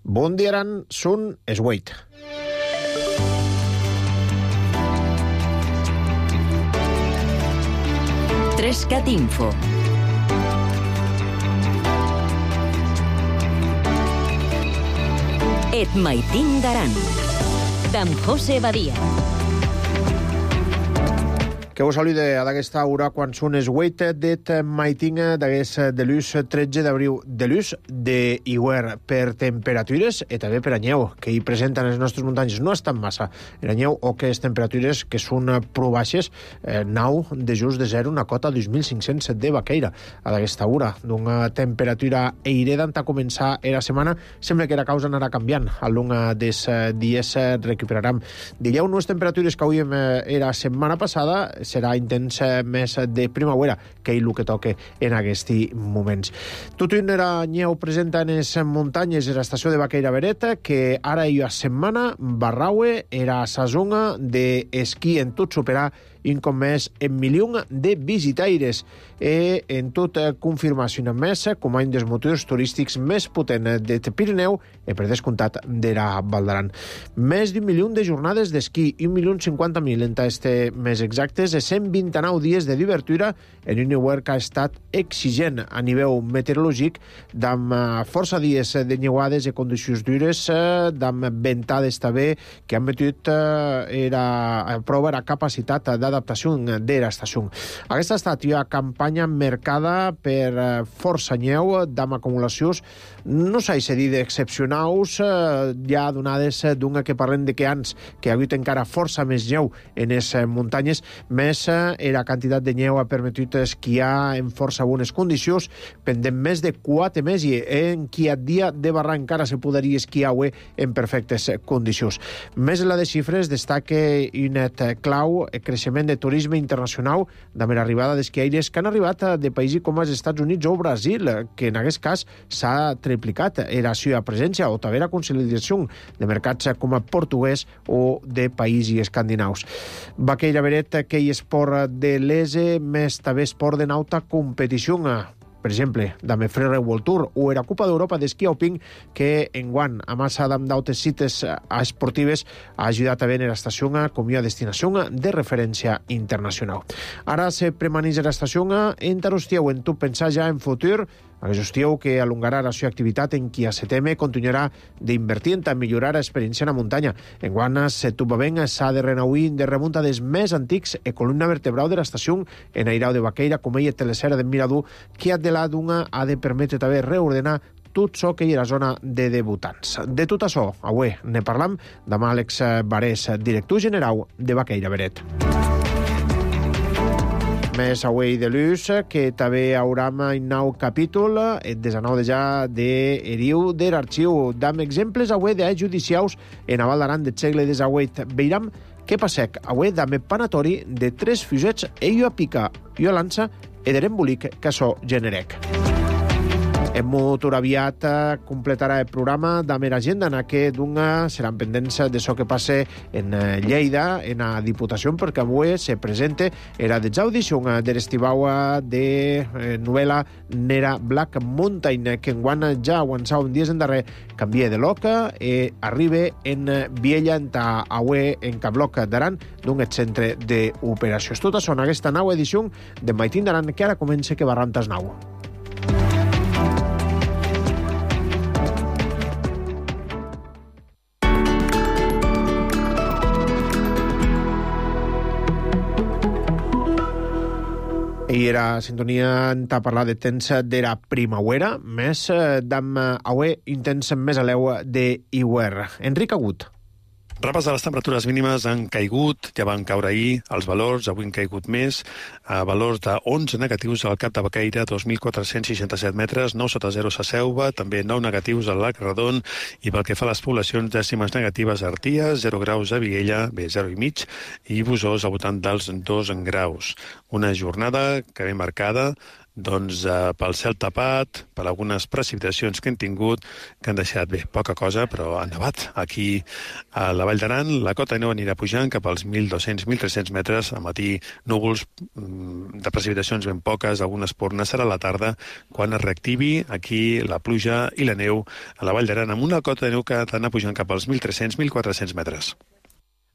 Bon dia, Aran, són es 8. Trescat Info. Et maitin d'Aran, d'en José Badia. Que vos salude d'aquesta hora quan són es 8 d'et maitin d'aquest de l'ús 13 d'abril de l'ús de Iguer per temperatures i també per anyeu que hi presenten les nostres muntanyes. No estan massa en anyeu o que les temperatures que són prou baixes, 9 de just de 0, una cota 2.507 de Baqueira a d'aquesta hora. D'una temperatura eireda a començar la setmana, sembla que la causa anarà canviant. Al long dels dies recuperarem. Dieu unes temperatures que avui era setmana passada serà intens més de primavera que el que toca en aquests moments. Tot un era nyeu presenta en les muntanyes de l'estació de Baqueira Beret, que ara hi ha setmana Barraue era sa zona d'esquí en tot superar un cop més en milió de visitaires i en tot confirmació més com un dels motius turístics més potent de Pirineu i per descomptat de la Val d'Aran. Més d'1 milió de jornades d'esquí, 1.050.000 en este més exactes, i 129 dies de divertura en un Iguer que ha estat exigent a nivell meteorològic, amb força dies de nyeuades i condicions dures, amb ventades també que han metut a prova la capacitat d'adaptació de l'estació. Aquesta ha estat una campanya marcada per força nyeu, amb acumulacions, no s'ha de dir d'excepcionals, ja donades d'una que parlem de que anys que ha hagut encara força més nyeu en les muntanyes, més la quantitat de nyeu ha permetut esquiar en força bones condicions, pendent més de 4 mesos i en qui a dia de barra encara se podria esquiar en perfectes condicions. Més en la de xifres destaca un net clau el creixement de turisme internacional amb l'arribada d'esquiaires que han arribat de països com els Estats Units o Brasil, que en aquest cas s'ha triplicat la seva presència o també la consolidació de mercats com a portuguès o de països escandinaus. Baqueira Beret, que hi esport de l'ESE, més també esport de nauta competició, per exemple, d'Ame Freire World Tour o la Copa d'Europa d'esquí alpin, que enguany, a massa d'altres cites esportives, ha ajudat a veure l'estació com una destinació de referència internacional. Ara se premaneix l'estació en Tarostieu, en tu pensar ja en futur, Tarostieu que alongarà la seva activitat en qui a setembre continuarà d'invertir en millorar l'experiència en la muntanya. Enguany, setubament s'ha de renauir de remunta dels més antics e columna vertebral de l'estació en Airau de Baqueira, com ella telesera de Mirador, que de la d'una ha de permetre també reordenar tot això que hi ha a la zona de debutants. De tot això, avui ne parlam amb Àlex Barés, director general de Baqueira Beret. Més avui de l'ús, que també haurà un nou capítol, el 19 de ja d'Eriu de l'Arxiu, amb exemples avui de judicials en la Val d'Aran del segle XVIII. Veiram què passec avui amb el panatori de 3 fusets i una pica i una lança i de l'embolic que això generec. En motor aviat completarà el programa amb l'agenda en què seran pendents d'això que passe en Lleida, en la Diputació, perquè avui se presenta la desaudició de l'estivau de novel·la Nera Black Mountain, que enguany ja avançava un dies endarrer, canvia de lloc i arriba en Viella, en Cabloc d'Aran, d'un centre d'operacions. Tot això en aquesta nova edició de Maitin d'Aran, que ara comença que va rantes nau. I era sintonia a parlar de temps de la primavera, més d'am avui intens més a l'eu d'Iguer. Enric Agut. Rapes de les temperatures mínimes han caigut, ja van caure ahir els valors, avui han caigut més, a valors de 11 negatius al Cap de Baqueira, 2.467 metres, 9 sota 0 a Selva, també 9 negatius al Lac Redon, i pel que fa a les poblacions, dècimes negatives a Arties, 0 graus a Viella, bé, 0,5, i Busós al voltant dels 2 graus. Una jornada que ve marcada pel cel tapat, per algunes precipitacions que hem tingut, que han deixat, poca cosa, però han nevat. Aquí a la Vall d'Aran, la cota de neu anirà pujant cap als 1.200-1.300 metres. Al matí, núvols de precipitacions ben poques, algunes pornes. Serà a la tarda quan es reactivi aquí la pluja i la neu a la Vall d'Aran, amb una cota de neu que ha d'anar pujant cap als 1.300-1.400 metres.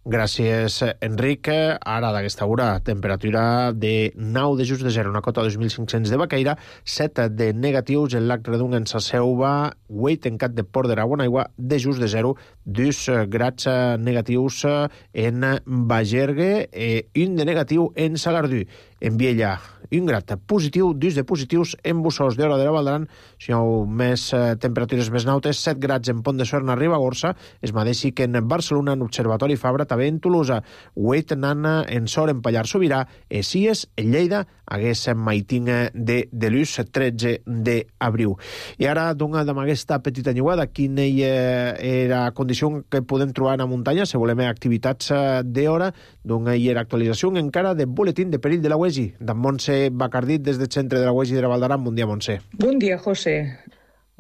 Gràcies, Enric. Ara, d'aquesta hora, temperatura de 9 de just de 0, una cota de 2.500 de Baqueira, 7 de negatius en Lac Redung, en Sa Selva, Hueit, en Cat de Port de Raguanaigua, de just de 0, 2 grads negatius en Bagergue, 1 de negatiu en Sagardú. En Viella, 1 grad positiu, 2 de positius en Bussos d'Hora de la Val d'Aran, si hi ha més temperatures més nautes, 7 grads en Pont de Suert, a Ribagorça, es mateixi que en Barcelona, en Observatori Fabra, també en Tolosa, Hueit, Nana, en Sor, en Pallar Sobirà, Cies, en Lleida, hagués Maitinga de Delús, 13 d'abril. I ara, doncs, amb aquesta petita nyuada, quina era la condició que podem trobar en la muntanya, si volem activitats d'hora, doncs hi era actualització encara de boletín de perill de la UEGI, d'en Montse Bacardit, des del centre de la UEGI de la Val d'Aran. Bon dia, Montse. Bon dia, José.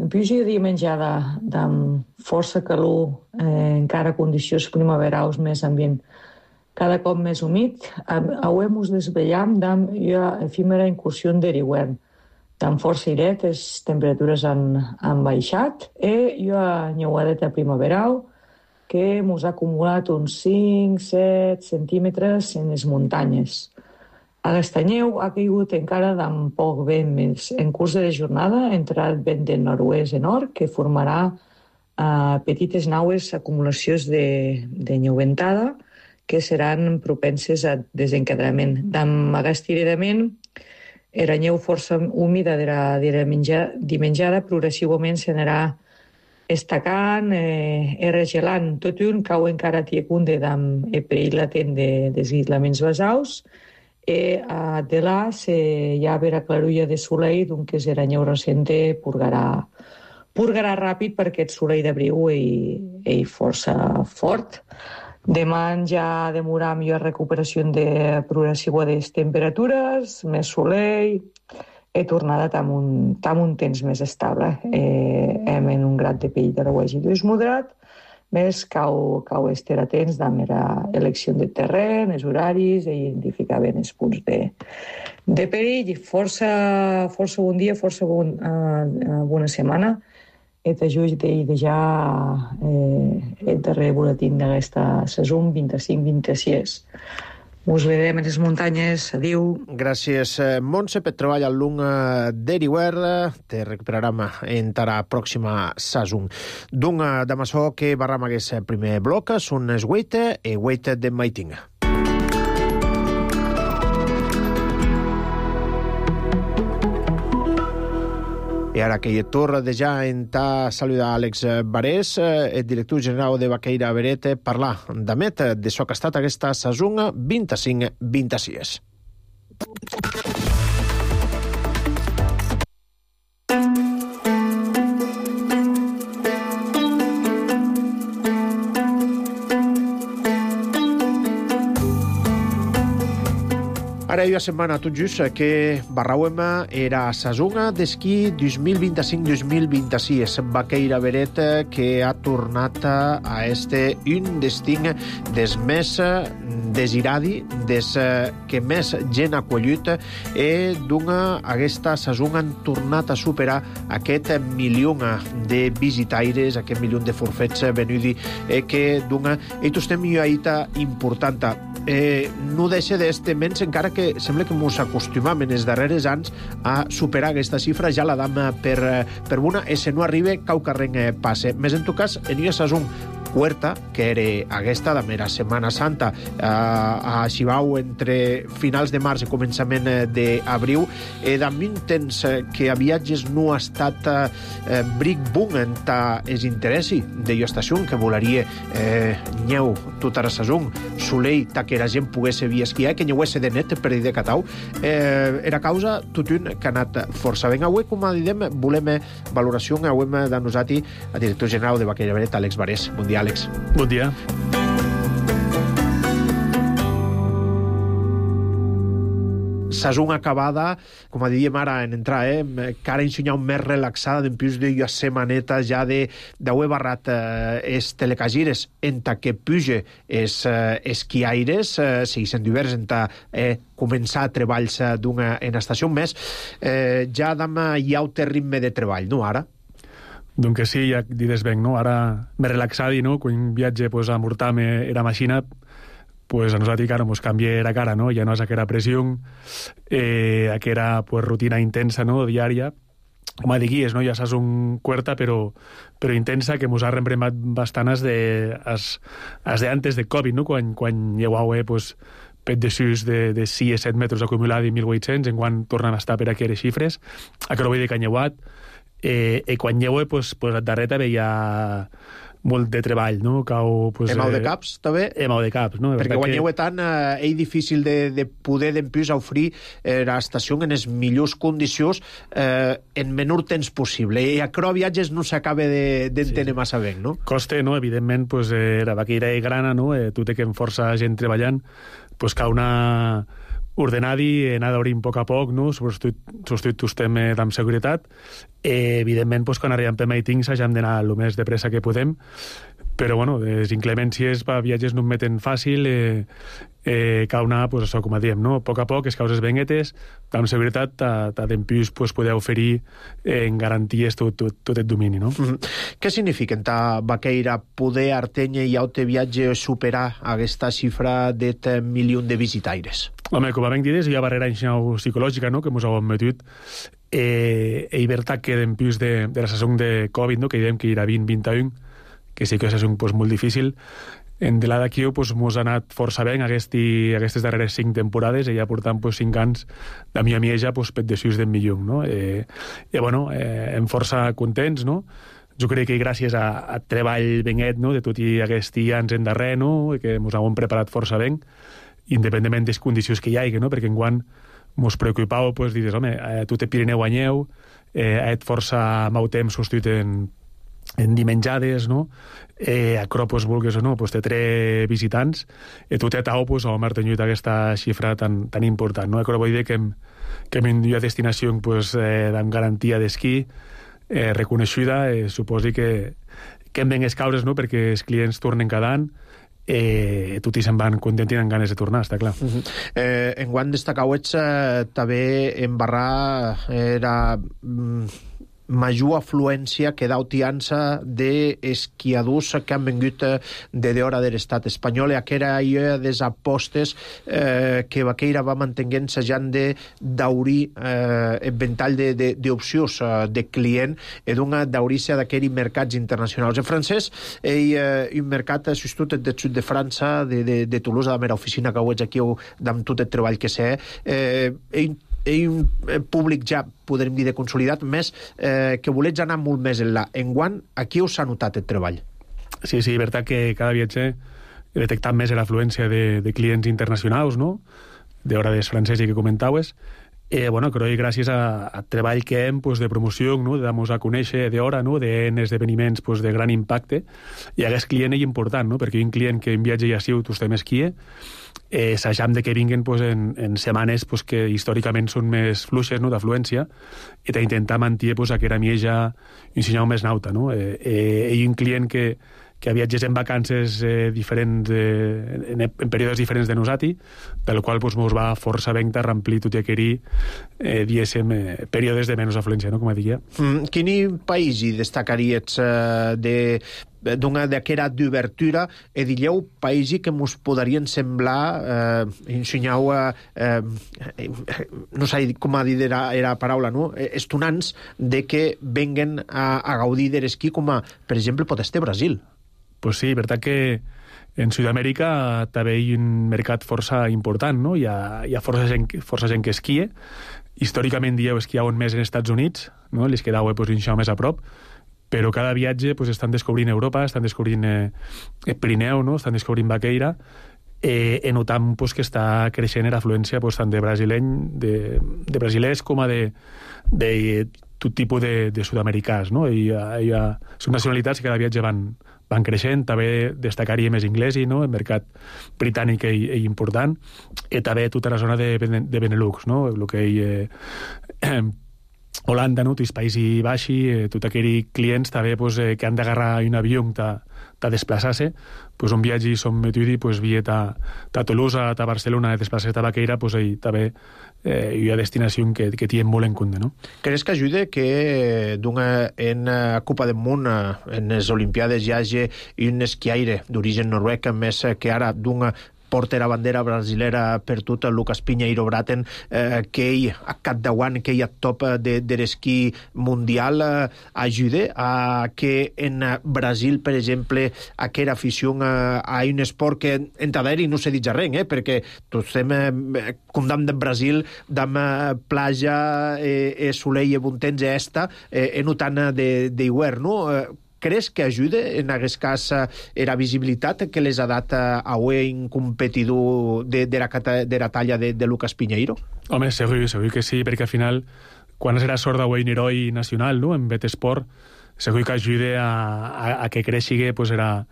En pluja dimenjada amb força calor, encara condicions primaverals més ambient cada cop més humit, avui ens desvetllam d'una efímera incursió de l'hivern. Amb força airet, les temperatures han baixat i hi ha nyeuadeta primaveral que ens ha acumulat uns 5-7 centímetres en les muntanyes. Aquesta neu ha caigut encara d'amb poc vent més. En curs de la jornada ha entrat vent del nord-oest en nord, que formarà petites naues acumulacions de neu ventada que seran propenses a desencadenament. D'amb aquest iredament, la neu força húmida de la dimenjada progressivament s'anirà estacant, regelant. Tot un cau encara tiecunde d'amb el perill latent de desguislaments basals, de là hi ha vera clarulla de soleil, doncs que la neu recente purgarà ràpid perquè el soleil d'abril és força fort. Demà ja demorar millor recuperació de progressiva de les temperatures, més soleil, he tornat amb un temps més estable. Hem en un grad de perill de la UEGI moderat, més cau estar atents amb l'elecció de terreny, els horaris, i identificar bé els punts de perill. Força bon dia, força bona setmana. Et ajuda de ja el darrer boletín d'aquesta saison 25-26. Us veurem en les muntanyes. Adéu. Gràcies, Montse, per treball al lung de l'hivern. Te recuperarem en la pròxima saison. D'un d'amassó que barram aquest primer bloc són els Hueit i Hueit de Maitinga. I ara que hi torna de ja en ta saludar Àlex Barés, el director general de Baqueira Beret, parlar d'amet de so que ha estat aquesta saison 25-26. Ara hi ha setmana tot just que barrauem era saison d'esquí 2025-2026. Baqueira Beret que ha tornat a este un destí des més desiradi, des que més gent ha collit, i d'una aquesta saison han tornat a superar aquest milió de visitaires, aquest milió de forfets venudi, que d'una i estem aïta important. No deixa d'este menys, encara que sembla que ens acostumam en els darrers anys a superar aquesta xifra, ja la dam per una, i si no arriba, cau carrer passe. Més en tot cas, en una saison Huerta, que era aquesta de mera Setmana Santa, a Xibau entre finals de març i començament d'abril, d'amb un temps que a viatges no ha estat bric boom en es interessi de estació, que volaria nyeu tota la saison, soleil, que la gent pogués via esquiar, que nyeuesse de net per dir de catau, era causa tot un que ha anat força ben. Avui, com a didem, volem valoració, avui de nosaltres, el director general de Baqueira Beret, Àlex Barés. Bon dia, Àlex. Bon dia. saison acabada, com diríem ara en entrar, cara ensenyar un més relaxada, d'empús de setmaneta ja d'haver barrat es telecagires enta que puge es esquiaires, segueixen divers enta començar treballs en estació més, ja dam hi ha un ritme de treball, no, ara? Donc sí, ja dides ben, no? Ara me relaxadi, no? Quan viatge pues, a Murtame era machina, pues a nosaltres cara nos canvia la cara, no? Ja no és aquella pressió, aquella pues, rutina intensa, no? Diària, com a diguis, no? Ja saps un cuerta, però intensa, que mos ha reempremat bastant as de antes de Covid, no? Quan llevau, pues, pet de sus de 6 a 7 metres acumulats i 1.800, en quan tornen a estar per aquelles xifres, a que no vull dir que han llevat, i quan llevo, pues darrere veia molt de treball, no? Cau, pues, Emau de caps, també? Emau de caps, no? Perquè quan llevo tant, és difícil de poder d'empús ofrir l'estació en les millors condicions en menor temps possible. I a creu viatges no s'acaba d'entendre massa bé, no? Costa, no? Evidentment, pues, la vaquera és grana, no? Tu té que amb força gent treballant, pues cau una ordenadi, anar d'obrir a poc, no? Substitut tu estem amb seguretat. Evidentment, pues, quan arribem per meetings hagem d'anar el més de pressa que podem, però, bueno, les inclemències per viatges no em meten fàcil, cau anar, pues, això, com diem, no? A poc, les causes benguetes, amb seguretat, d'empús, pues, poder oferir en garanties tot el domini, no? Què significa en ta vaqueira poder artenye i aute viatge superar aquesta xifra de 1 milió de visitaires? Home, com ben dides, hi ha barrera psicològica, no?, que mos heu admetut, i veritat que d'empús de la saison de Covid, no?, que diem que era 20-21, que sí que és un pues, molt difícil. En de la d'aquí pues, mos ha anat força bé aquestes darreres 5 temporades, i ja portant pues, 5 anys de mi a ja pues, pet de sus d'en millón, no? Bueno, hem força contents, no? Jo crec que gràcies a treball benguet, no?, de tot i aquests anys en darrer, no?, que mos hem preparat força ben, independentment de les condicions que hi hagi, no?, perquè enguant mos preocupau, pues, dius, home, tot el Pirineu anyeu, et força mau temps substituït en dimenjades, no? A Cropos, vulgues o no, pues, té 3 visitants, i tot et tau, pues, hem tenyut aquesta xifra tan important, no? Però vull dir que hem a destinació pues, amb garantia d'esquí reconeixuda, suposi que hem ben les causes, no?, perquè els clients tornen cada any, tot i se'n van contents i amb ganes de tornar, està clar. Enguant destacauets també en Barrà era major afluència que d'autiança d'esquiadors que han vengut de d'hora de l'estat espanyol, i aquera des apostes que Vaqueira va mantenint sajant d'aurir el ventall d'opcions de client i d'aurir-se d'aquells mercats internacionals. En francès, un mercat substitut del sud de França, de Toulouse, de la meva oficina que ho veig aquí, amb tot el treball que sé, un públic ja, podríem dir, de consolidat, més que volets anar molt més enllà. Enguant, aquí us ha notat el treball? Sí, veritat que cada viatge he detectat més l'afluència de clients internacionals, no?, d'hora des franceses que comentaues. Bueno, crec que gràcies a treball que hem pues, de promoció, no?, de dar-nos a conèixer d'hora, no?, d'esdeveniments pues, de gran impacte, i aquest client és important, no?, perquè un client que en viatge ja siu, tu estem esquie, s'ajam de que vinguen pues, en setmanes pues, que històricament són més fluixes, no?, d'afluència, i d'intentar mantenir pues, aquella mieja un senyal més nauta, no? I un client que viatges en vacances diferents, en períodes diferents de nosati, del qual pues, mos va força ben a remplir tot i aquell períodes de menys afluència, no?, com diria. Quin país hi destacaries d'aquera d'obertura e diríeu païsi que mos podarien semblar ensenyau no sé com a dir era paraula, no? Estonants de que venguen a gaudir de l'esquí, com a, per exemple, pot estar Brasil. Pues sí, veritat que en Sud-amèrica també hi ha un mercat força important, no? Hi ha força gent que esquia. Històricament dieu esquiaven més en Estats Units, no?, les quedau pues, més a prop, però cada viatge pues, estan descobrint Europa, estan descobrint el Pirineu, no?, estan descobrint Vaqueira, i notam pues, que està creixent l'afluència pues, tant de brasilers com a de tot tipus de sud-americans, no? Són nacionalitats que cada viatge van creixent, també destacaria més inglesi, no? El mercat britànic és important, i també tota la zona de Benelux, no? El que Holanda, no? Els Països Baixos, tots aquells clients també que han d'agarrar un avió ta desplaçar-se, un viatge som metudi, via ta Tolosa, ta Barcelona, desplaçar-se a Baqueira, també hi ha destinació que tenen molt en compte, no? Creus que ajuda que en Copa del Món, en les Olimpiades, hi hagi un esquiaire d'origen noruec, més que ara d'un porter a bandera brasilera per tot, Lucas Pinheiro Braten, que ell a capdavant, que ell a top de l'esquí mundial, ajuda a que en Brasil, per exemple, aquella afició a un esport que en Taderi no se dit res, perquè tots estem com de Brasil, d'am platja, soleil, bon temps, no tant d'hivern, no? Creus que ajuda, en aquest cas, la visibilitat que les ha dat a un competidor de la talla de Lucas Pinheiro? Home, segur que sí, perquè al final, quan era sort d'un heroi nacional, no?, en Betesport, segur que ajuda a que creixi era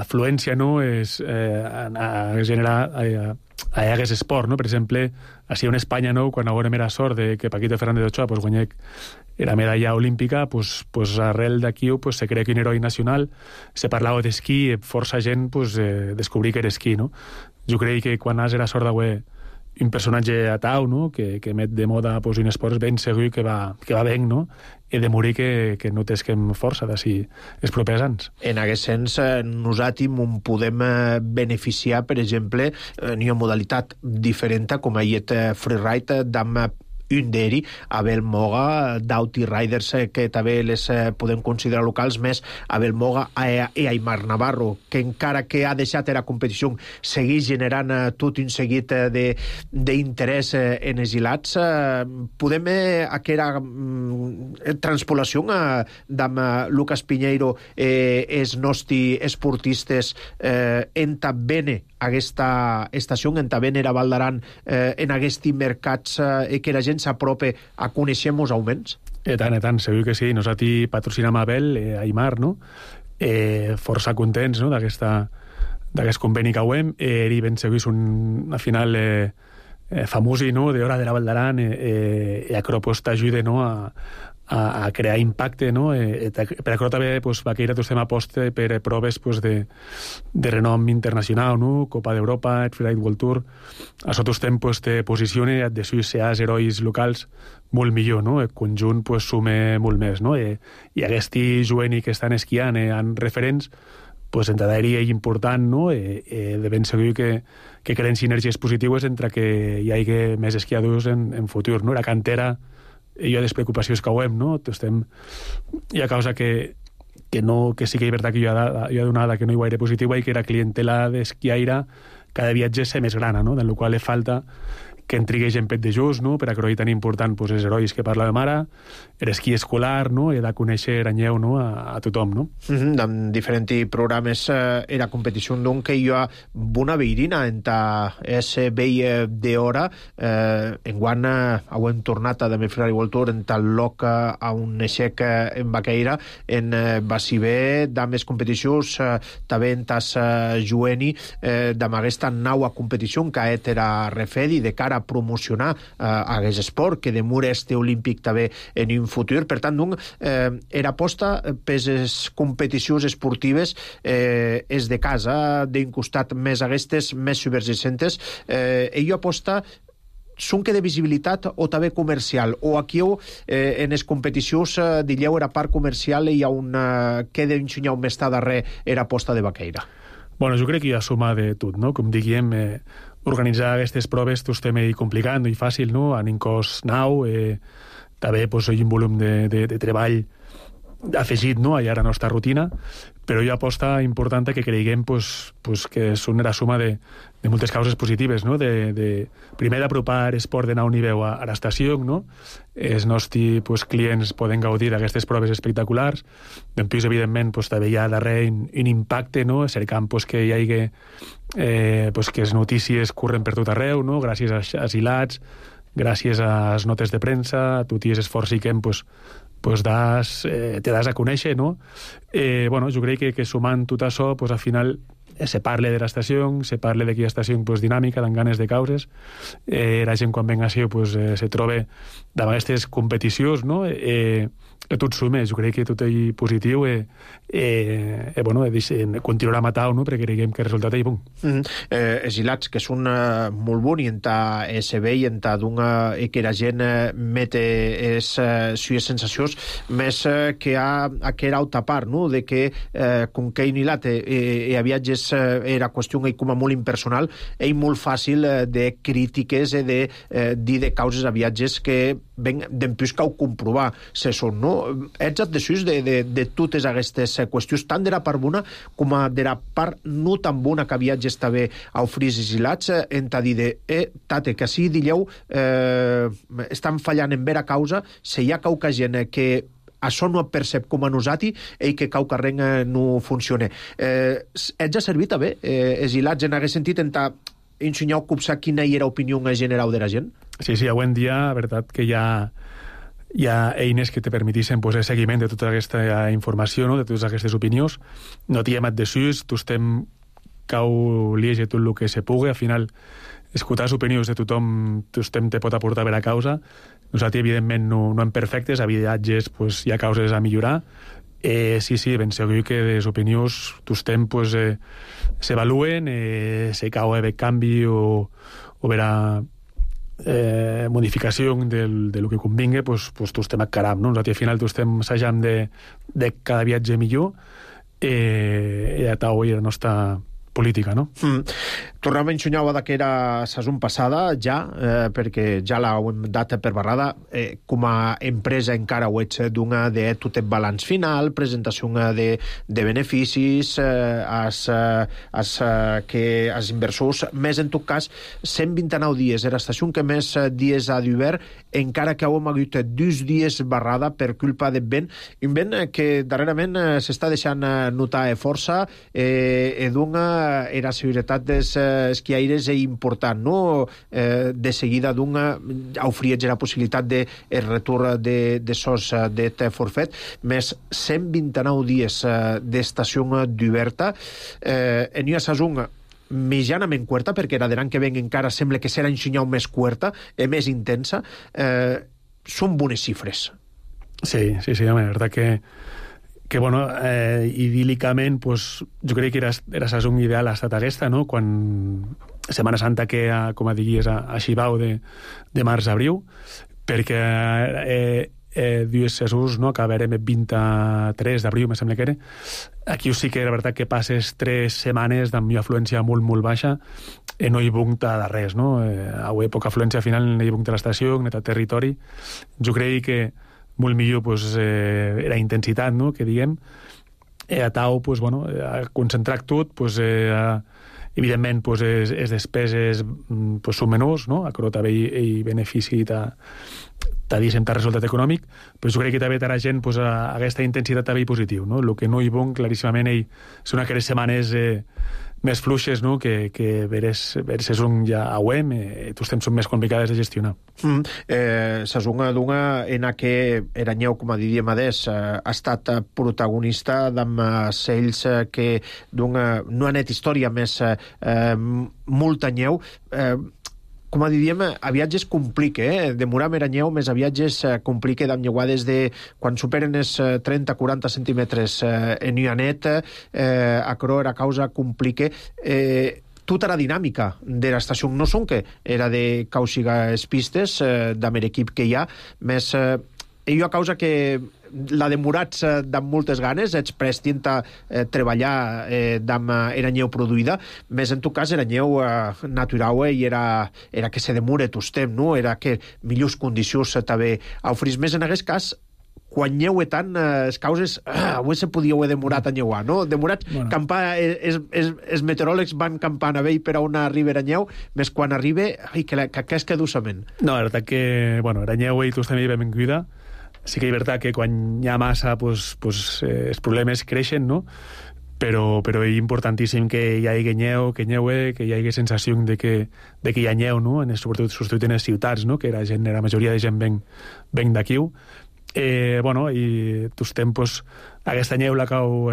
afluència, no?, a generar a aquest esport, no? Per exemple, així en Espanya, no?, quan era sort de que Paquito Fernández Ochoa guanyés era medalla olímpica, arrel d'aquí se crea que un heroi nacional, se parlava d'esquí, força gent descobrir que era esquí, no? Jo crec que quan has era sort d'haver un personatge atau, no?, que met de moda un esport ben segur que va ben, no?, i de morir que no tesquem força d'ací els propers anys. En aquest sens, nosaltres podem beneficiar, per exemple, en una modalitat diferent, com aquest freeride d'am un d'eri, Abel Moga, d'Auti Riders, que també les podem considerar locals, més Abel Moga i Aimar Navarro, que encara que ha deixat la competició, segueix generant tot un seguit d'interès en els hilats. Podem aquella transpolació d'am Lucas Pinheiro els nostres esportistes en també aquesta estació, en també era Val d'Aran, en aquests mercats que la gent s'apropa a conèixer-nos augments? I tant, segur que sí. Nosaltres patrocinem Abel, Aimar, no? Força contents, no?, d'aquest conveni que hem. Ell ben segur és al final famosi, no?, d'hora de la Val d'Aran, i això t'ajuda, no?, a crear impacte, no? Per això també Baqueira estem aposta per proves de renom internacional, no? Copa d'Europa, el Freeride World Tour. Això estem te posiciona de ser herois locals molt millor, no? El conjunt sume molt més, no? I aquests jovents que estan esquiant en referents, en Taderi és important, no? De ben segur que creen sinergies positives entre que hi hagi més esquiadors en futur, no? La cantera, hi ha despreocupacions que ho hem, no? Hi ha causa que sí que és veritat que hi ha donada que no hi gaire positiva i que la clientela d'esquiaire cada viatge és més grana, no? Del qual li falta que en trigués en pet de just, no? Per a que tan important els herois que parlàvem ara, l'esquí escolar, no? I de conèixer Aranyeu, no? A tothom, no? En diferents programes era competició d'un que hi ha bona veirina entre ese vell d'hora. Enguany hem tornat a també Freeride World Tour en tal loc a un aixec en Baqueira, en Baciber, d'amés competicions, també en tas jueni, d'am aquesta nova competició que era refedi de cara a promocionar aquest esport, que demur este olímpic també en un futur. Per tant, era aposta per les competicions esportives és de casa, d'un costat més aquestes, més subversicentes. Ell aposta són que de visibilitat o també comercial, o aquí en les competicions dilleu era part comercial i hi ha que d'enxunyar més darrer era aposta de Baqueira? Bueno, jo crec que hi ha suma de tot, no? Com diguem, organitzar aquestes proves estem complicat, no és fàcil, no? Han un cost nau, també hi ha un volum de treball afegit, no?, a la nostra rutina, però hi ha aposta important que creguem que són la suma de moltes causes positives, no? Primer, d'apropar esport de nou nivell a l'estació, no? Els nostres clients poden gaudir d'aquestes proves espectaculars. Després, evidentment, també hi ha darrere un impacte, no? Cercant que hi hagi que les notícies corren per tot arreu, no? Gràcies als hilats, gràcies a les notes de premsa, a tot i l'esforç que pues te das a conèixer, no? Bueno, jo crec que sumant tot això, pues al final se parla de l'estació, se parla d'aquella estació pues, dinàmica, amb ganes de causes. La gent quan venga així pues, se troba davant aquestes competicions, no? Tot suma, jo crec que tot és positiu bueno, continuarà a matar, no? Perquè creiem que el resultat és bon. Els hilats que són molt bons i entà se ve i entà que la gent mete sues sensacions més que a aquella altra part, no? De que com que un hilat a viatges era qüestió com a molt impersonal, és molt fàcil de crítiques i de dir de causes a viatges que d'empús cau comprovar se són, no? Ets addesus de totes aquestes qüestions, tant de la part bona com de la part no tan bona que viatges també a ofrir els hilats, en ta dir de, tate, que si dilleu estan fallant en vera causa, se hi ha cauca gent que això no percep com a nosaltres i que cau carreng no funciona. Ets ha servit també els hilats en aquest sentit en ta ensenyar a copsar quina era l'opinió general de la gent? Sí, avui en dia, la veritat que hi ha eines que te permetixen pues, el seguiment de tota aquesta informació, no? De totes aquestes opinions. No t'hem addesus, tu estem cau liege tot el que se pugui. Al final, escoltar les opinions de tothom te pot aportar per a causa. Nosaltres, evidentment, no hem perfectes. A viatges pues, hi ha causes a millorar. Sí, ben segur que les opinions tostem pues, s'evaluen, se cau de canvi o verà modificació de lo que convingui, pues tostem a caram, no? Nosaltres al final tostem assajant de cada viatge millor i a tau i la nostra política, no? Tornem a ensenyar que era la saison passada, ja, perquè ja l'hem dat per barrada. Com a empresa encara ho ets d'una de tot el balanç final, presentació de beneficis, que els inversors, més en tot cas, 129 dies. Era l'estació que més dies ha d'hivern, encara que hem hagut 2 dies barrada per culpa del vent. Un vent que darrerament s'està deixant notar força, d'una era la seguretat dels esquiaires és important, no? De seguida ofereix la possibilitat de retorn de sos d'et forfet, més 129 dies d'estació d'oberta. En una saison mitjanament curta, perquè la de l'any que ven encara sembla que serà ensenyau més curta i més intensa. Són bones xifres. Sí, home, la veritat que bueno, idílicament pues, jo crec que era la saison ideal ha estat aquesta, no? Quan Setmana Santa que com a diguis a Xibau de març-abril, perquè dues saisons, no? Acabarem el 23 d'abril, me sembla que era. Aquí sí que la veritat que passes 3 setmanes amb una afluència molt, molt baixa i no hi bunta de res, no? Avui poca afluència al final no hi bunta l'estació, no hi territori. Jo crec que molt millor pues, la intensitat, no?, que diguem, a tau, pues, bueno, a concentrar tot, pues, evidentment, pues, les despeses pues, són menors, no?, a que també hi benefici diguem, resultat econòmic, però jo crec que també la gent pues, aquesta intensitat també hi positiu, no?, el que no hi bon, claríssimament, són aquelles setmanes més fluixes, no?, que saison ja auem, tots temps són més complicades de gestionar. Saison d'una en què Eranyeu, com a diríem adés, ha estat protagonista d'amb ells que no han et història més molt anyeu, com a diríem, a viatges complica, demorar Eranyeu més a viatges complica d'amlleuades de quan superen els 30-40 centímetres en una net, a cror a causa complica tota la dinàmica de l'estació. No són que era de causiga les pistes d'amb l'equip que hi ha, més hi ha causa que la demorats d'amb moltes ganes, ets prestint a treballar d'amb Eranyeu produïda, més en tot cas Eranyeu natural i era que se demore tostem, no? Era que millors condicions també ofrís. Més en aquest cas, quan nyeu tant, les causes avui se podia haver demorat a nyeuar, no? Demorat, bueno. Campar, els meteoròlegs van campant a vell per a on arriba Eranyeu, més quan arriba, que és cadussament. No, la veritat que, bueno, Eranyeu i tots també hi vam cuidar. Sí que és veritat que quan hi ha massa, els problemes creixen, no? però és importantíssim que hi hagi neu, que hi hagi sensació de que hi ha neu, no? Sobretot en les ciutats, no? Que la majoria de gent ven d'aquí. Bueno, i tots temps aquesta neu la cau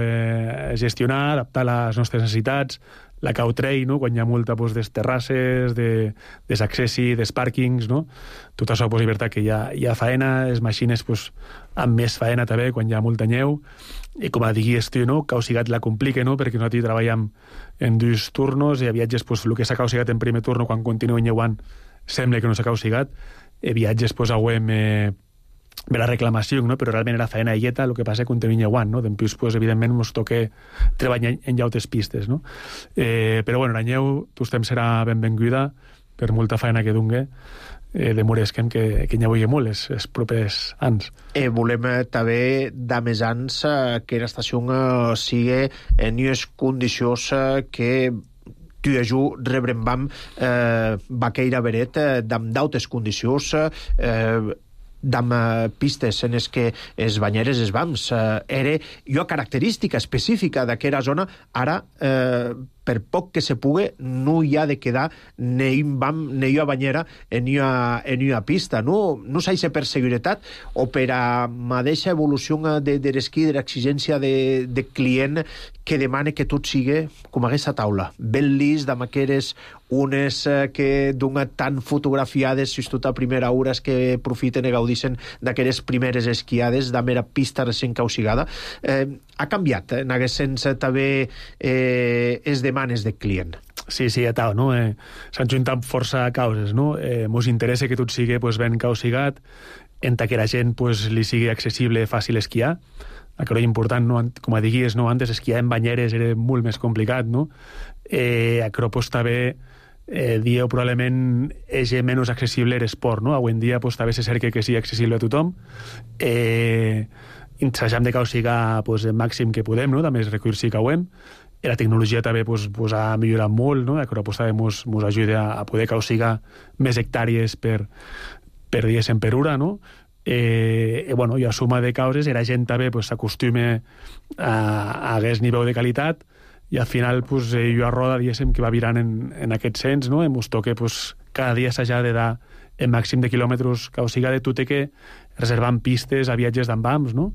gestionar, adaptar les nostres necessitats, la cau trei, no? Quan hi ha molta des terrasses, des accessi, des pàrquings, no? Tot això és veritat que hi ha faena, les màquines amb més faena també quan hi ha molta neu, i com a diguis tu, no? Causigat la complica, no? Perquè nosaltres treballem en 2 turnos i a viatges el que s'ha causigat en primer turno quan continua neuant sembla que no s'ha causigat, i viatges auem ve la reclamació, no? Però realment era faena illeta, el que passa que continua neuant, no? Després, evidentment, ens toca treballar en llautes pistes, no? Però, bueno, la neu, tot temps serà benvinguda per molta faena que dongui, demorem que n'hi molt els propers anys. Volem també, de més anys, que l'estació sigui en unes condicions que tu i jo rebrem vaqueira veret d'autes condicions, d'amb pistes en les que els banyeres es vams. Era una característica específica d'aquella zona. Ara, per poc que se pugui, no hi ha de quedar ni un bam ni una banyera en una pista. No s'ha per seguretat o per a mateixa evolució de l'esquí, de l'exigència de client que demana que tot sigui com aquesta taula. Ben llis, amb aquelles unes que donen tan fotografiades, si tot a primera hora és que profiten i gaudixen d'aquelles primeres esquiades, de mera pista recent causigada. Ha canviat, en aquest sens, també es demanes de client. Sí, tal, no? S'han juntat força causes, no? Mos interessa que tot sigui ben causigat, en que la gent li sigui accessible, fàcil esquiar. Això és important, no? Com diguis, no? Antes esquiar en banyeres era molt més complicat, no? Això també dieu probablement és menys accessible l'esport, no? Avui en dia també se cerca que sigui accessible a tothom. Intentăm de causigar el màxim que podem, no? També els recursos que ho hem. La tecnologia també ha millorat molt, no? Això també ens ajuda a poder causigar més hectàrees per diguéssim per hora, no? Bueno, i a suma de causes la gent també s'acostuma a aquest nivell de qualitat i al final hi ha roda, diguéssim, que va virant en aquest sens, no? Ens toca cada dia s'ha de dar el màxim de quilòmetres causiga de tot que reservant pistes a viatges d'ambams, no?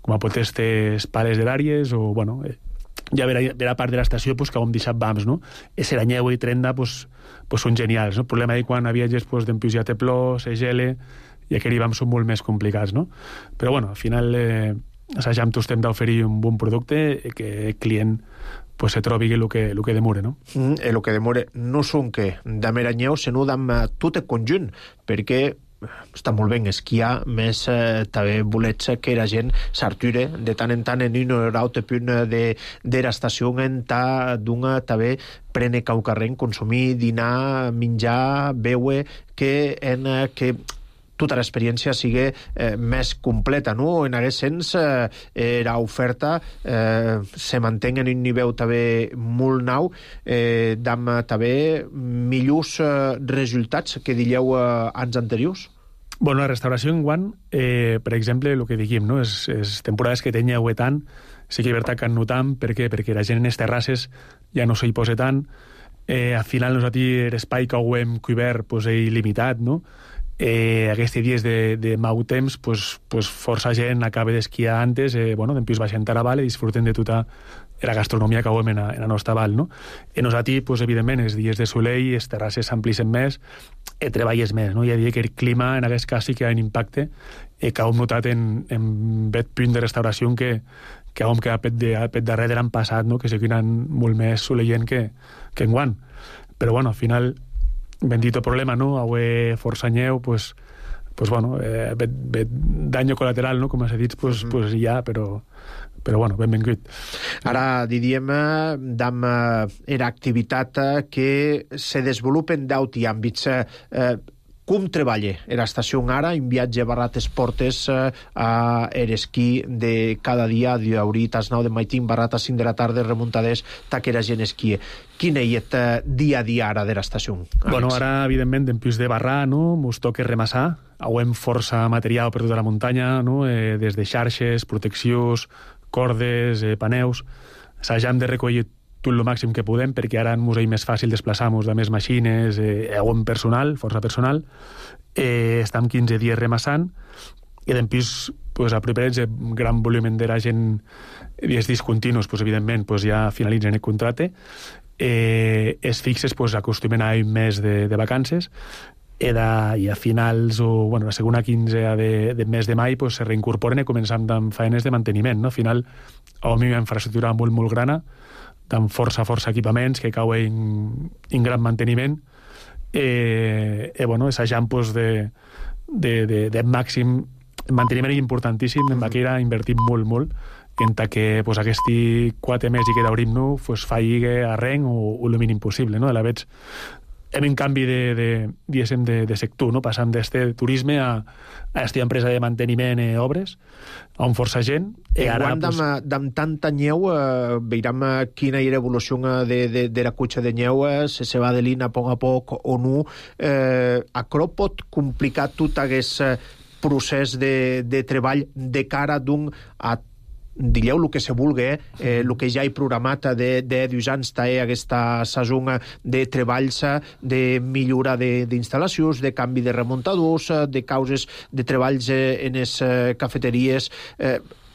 Com a pot ser pales d'àrees o, bueno, ja vera part de l'estació que hem deixat vams, no? Seranyeu i Trenda són genials, no? El problema és quan a viatges d'empius ja té plor, se gele, i aquells vams són molt més complicats, no? Però, bueno, al final assajam tots temps d'oferir un bon producte i que el client se trobi el que demora, no? El que demora no són que de meranyeu, sinó d'amb tot el conjunt, perquè està molt ben esquiar, més també volets que la gent s'arture de tant en tant en un o altre punt de l'estació en d'una també prene caucarrent, consumir, dinar, menjar, beure, que tota l'experiència sigui més completa, no? En aquest sens, l'oferta se manté en un nivell també molt nou, amb també millors resultats que diríeu anys anteriors? Bueno, la restauració en guant, per exemple, el que diguem, no? És temporades que tenia tant, sí que és veritat que en notam, per què? Perquè la gent en les terrasses ja no s'hi posa tant, al final nosaltres l'espai que ho hem cobert és il·limitat, no? Aquests dies de mau temps força gent acaba d'esquiar antes, d'empius baixant a la val i disfruten de tota la gastronomia que hem en la nostra val, no? Nosaltres, evidentment, els dies de soleil, les terrasses s'amplissen més, treballes més, no? Hi ha dia que el clima en aquest cas sí que ha un impacte que hem notat en aquest punt de restauració que hem quedat per darrere de l'any passat, no? Que sigui molt més soleient que enguant. Però, bueno, al final bendito problema, no? Avui força neu, bueno, daño colateral, no? Com s'ha dit, hi ha, però bueno, benvingut. Ara diríem d'amb era activitat que se desenvolupen d'auti àmbits. Com treballa l'estació ara en viatge barrat esportes a l'esquí de cada dia, d'horitas 9 de maitín, barrat a 5 de la tarda, remuntades, taquera gent esquí. Quin és el dia a dia ara de l'estació? Bueno, ara, evidentment, d'empius de barrar, no? Mos toca remassar. Hem força material per tota la muntanya, no? Des de xarxes, proteccions, cordes, paneus. s'hagem de recollir tot el màxim que podem, perquè ara ens és més fàcil desplaçar-nos de més màquines, personal, força personal. Estem 15 dies remassant, i després, aproperats a gran volum de gent dies discontinus, evidentment, ja finalitzen el contracte. Els fixes acostumen a un mes de vacances, i a finals o la segona quinzena de mes de mai se reincorporen i comencem amb feines de manteniment. Al final, hi ha una infraestructura molt, molt grana, amb força equipaments que cauen en gran manteniment, assajant de màxim manteniment importantíssim. En Baqueira invertim molt, en que aquests 4 mesos que d'obrim faci arrenc o el mínim possible. A la vegada, hem un canvi de sector, passam d'este turisme a esta empresa de manteniment i obres, on força gent. Enguany, amb tanta nyeu, veurem quina era l'evolució de la cotxa de nyeu, se va delint a poc o no. Això pot complicar tot aquest procés de treball de cara d'un a digueu el que se vulgui, el que ja he programat de 2 anys aquesta saison de treballs, de millora d'instal·lacions, de canvi de remuntadors, de causes de treballs en les cafeteries.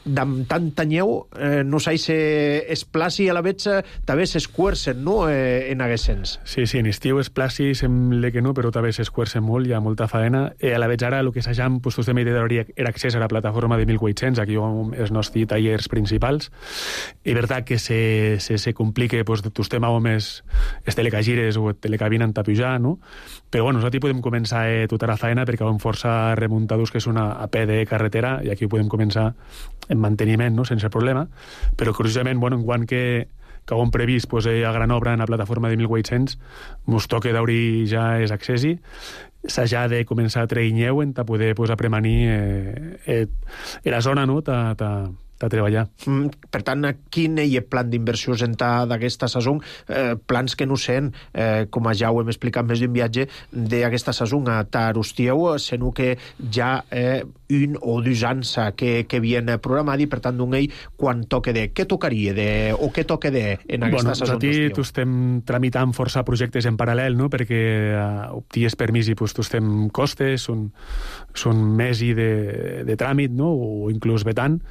Amb tanta nyeu, no sé si es placi a la vegada, també s'escuercen, no?, en aquest sens. Sí, en estiu es placi, sembla que no, però també s'escuercen molt, hi ha molta faena. A la vegada, ara, el que s'hagam, tu també era accés a la plataforma de 1800, aquí els nostres tallers principals, i veritat que se complica, tu estem més els telecagires o telecabinen a pujar, no? Però, nosaltres podem començar tota la faena perquè hi ha força remuntadors que són a peu de carretera, i aquí podem començar en manteniment, no?, sense problema, però curiosament, enguany que hem previst a gran obra en la plataforma de 1800, ens toca d'obrir ja els accessi, s'ha de començar a treure nyeu per poder apremanir la zona, no?, a treballar. Per tant, quin és el plan d'inversions d'aquesta saison? Plans que no sent, com ja ho hem explicat més d'un viatge, d'aquesta saison a Tarustieu, sinó que ja 1 o 2 anys que havien programat, i per tant, quan toca què tocaria o què toca en aquesta saison d'estiu? Nosaltres estem tramitant força projectes en paral·lel, no?, perquè obties permís i estem costes, són mesi de tràmit, no?, o inclús vetant.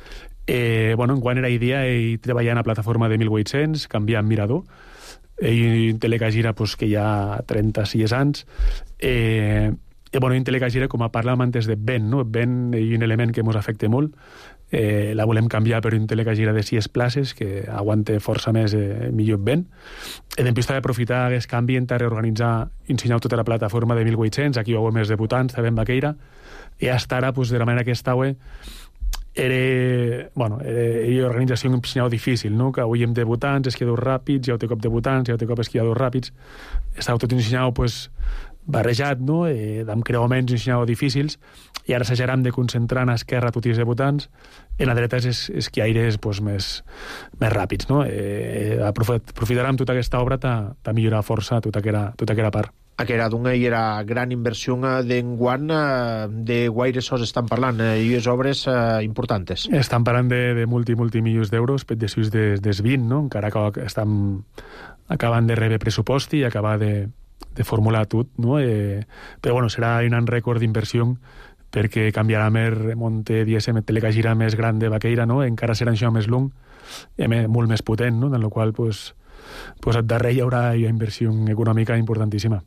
Enguany era idea treballar en la plataforma de 1800, canviar en mirador, i en Telecagira, que hi ha 36 anys, en Telecagira, com parlàvem antes de vent, no? Vent és un element que ens afecta molt, la volem canviar per un Telecagira de 6 places, que aguante força més millor vent, i després també aprofitar aquest canvi en reorganitzar, ensenyar tota la plataforma de 1800, aquí hi ha més debutants, també en Baqueira, i hasta ara, de la manera que estava, era organització difícil, no?, que avui hem debutants, esquiadors ràpids, ja ho té cop debutants, ja ho té cop esquiadors ràpids, estava tot ensenyat barrejat, no?, amb creuaments ensenyat difícils, i ara s'hajarem de concentrar en esquerra tots els debutants, en la dreta els esquiaires més ràpids, no? Aprofitarem tota aquesta obra per millorar força tota aquella part. Aquesta era gran inversió d'enguany, de guaire sos estan parlant, i les obres importants. Estan parlant de multimilions d'euros, de sus des 20, no? Encara que estan acabant de rebre pressupost i acabar de formular tot, no? Però serà un rècord d'inversió, perquè canviarà més remonte, diguéssim, Telecagira més gran de Baqueira, no? Encara serà això més long, molt més potent, no? En el qual, al darrere hi haurà una inversió econòmica importantíssima.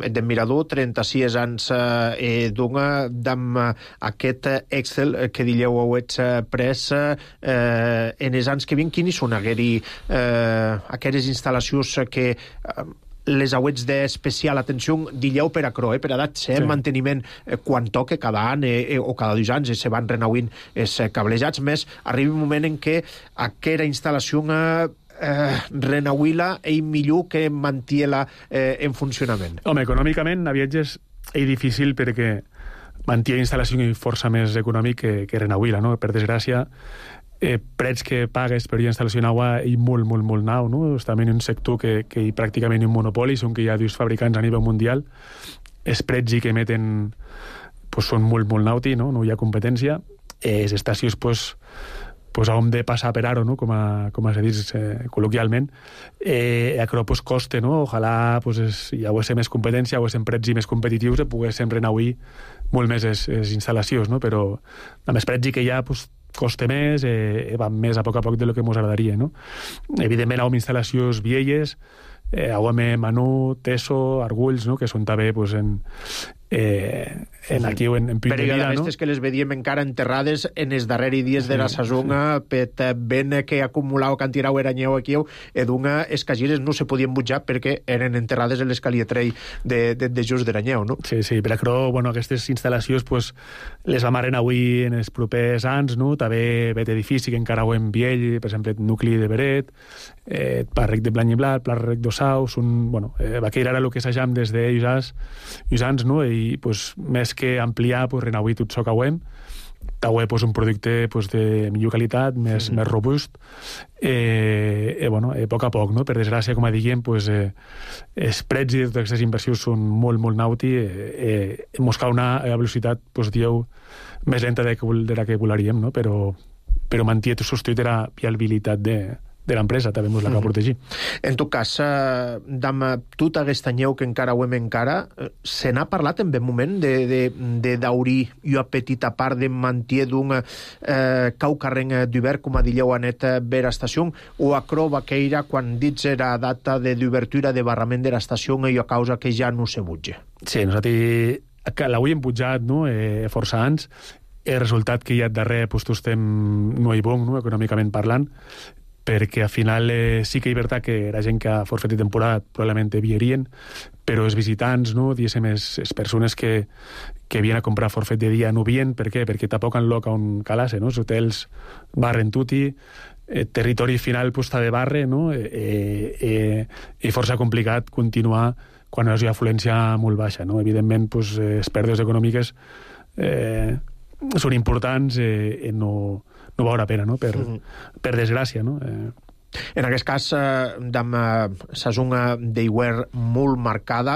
De mirador, 36 anys amb aquest Excel que dieu heu pres en els anys que vinen, quines són aquelles instal·lacions que les auets d'especial atenció, dilleu per acro, per edat, manteniment quan toca cada any o cada 2 anys se van renauint els cablejats, més arriba un moment en què aquesta instal·lació renauir-la és millor que mantenir-la en funcionament. Home, econòmicament a viatges és difícil perquè mantenir instal·lació és força més econòmic que renauir-la, no? Per desgràcia, prets que pagues per una instal·lació en agua i molt nau, no? Estem en un sector que pràcticament un monopoli, són que hi ha 2 fabricants a nivell mundial, els prets que emeten són molt nauti, no hi ha competència, les estacions pues hem de passar per aro, no? com se dius col·loquialment, aquerò pues, coste, no? Ojalà pues, hi hagués més competència, hagués prets més competitius i poguéssim renauir molt més les instal·lacions, no? Però a més prets que hi ha pues, coste més, va més a poc de lo que ens agradaria, no? Evidentment, hi ha instal·lacions vieilles, AOM, Manu, Teso, Argulls, no? Que són també pues, aquí en Puig de Vida, no? Aquestes que les vedíem encara enterrades en els darrers dies de la saison, pet ben que acumulava cantirau eranyeu aquí, edunga escagires no se podien butjar perquè eren enterrades en l'escalietrei de just d'eranyeu, no? Sí, per això, bueno, aquestes instal·lacions pues, les vam arrenar avui en els propers anys, no? També vet edifici que encara ho hem viell, per exemple, el nucli de Beret, Parrec de Blanc i Blat, Parrec d'Ossau, bueno, va quedar ara el que s'ajam des d'ells anys, no? I pues, més que ampliar, pues, renauir tot això que ho hem, pues, un producte pues, de millor qualitat, més robust, bueno, a poc, no? Per desgràcia, com diguem, pues, els prets i totes aquestes inversions són molt, molt nauti, mos cal una velocitat, pues, dieu, més lenta de la que volaríem, no? Però manté substituir la viabilitat de l'empresa, també ens la cal protegir. En tot cas, d'am tota aquesta nyeu que encara ho hem se n'ha parlat en ben moment de daurir una petita part de mantier d'un caucarren d'hivern, com a dilleu anet ver estació, o acro vaqueira quan dits era data d'obertura de barrament de l'estació i a causa que ja no se butge. Sí, nosaltres l'avui hem pujat, no? Força anys, el resultat que hi ha darrere pues, estem no hi bon, no? Econòmicament parlant, perquè al final sí que és veritat que la gent que ha forfet de temporada probablement viurien, però els visitants, no, diguéssim, les persones que havien a comprar forfet de dia no vien. Per què? Perquè tampoc han lloc on calar-se, no? Els hotels barren tutti, territori final pues, està de barre, no? I força complicat continuar quan hi ha afluència molt baixa, no? Evidentment, pues, les pèrdues econòmiques són importants i no val la pena, no? Per desgràcia, no? En aquest cas, d'am saison d'hivern molt marcada,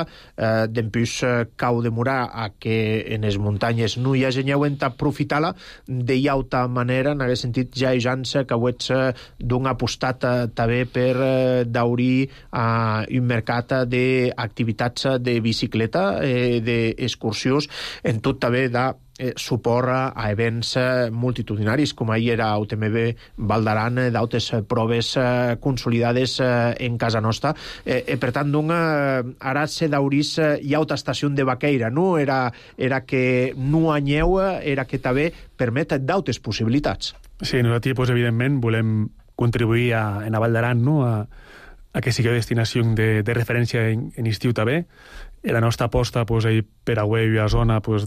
d'empús cau demorar a que en les muntanyes no hi hagi nyeu en aprofitar-la de llauta manera, en aquest sentit ja hi jança que ho ets d'un apostat també per daurir un mercat d'activitats de bicicleta, d'excursions, en tot també de suport a events multitudinaris, com ahir era UTMB Val d'Aran, d'altres proves consolidades en casa nostra. Per tant, ara se daurís hi ha altra estació de vaqueira, no? Era que no anyeu, era que també permet d'altres possibilitats. Sí, nosaltres, pues, evidentment, volem contribuir en Val d'Aran, no? a que sigui destinació de referència en estiu també. La nostra aposta pues, per a una zona pues,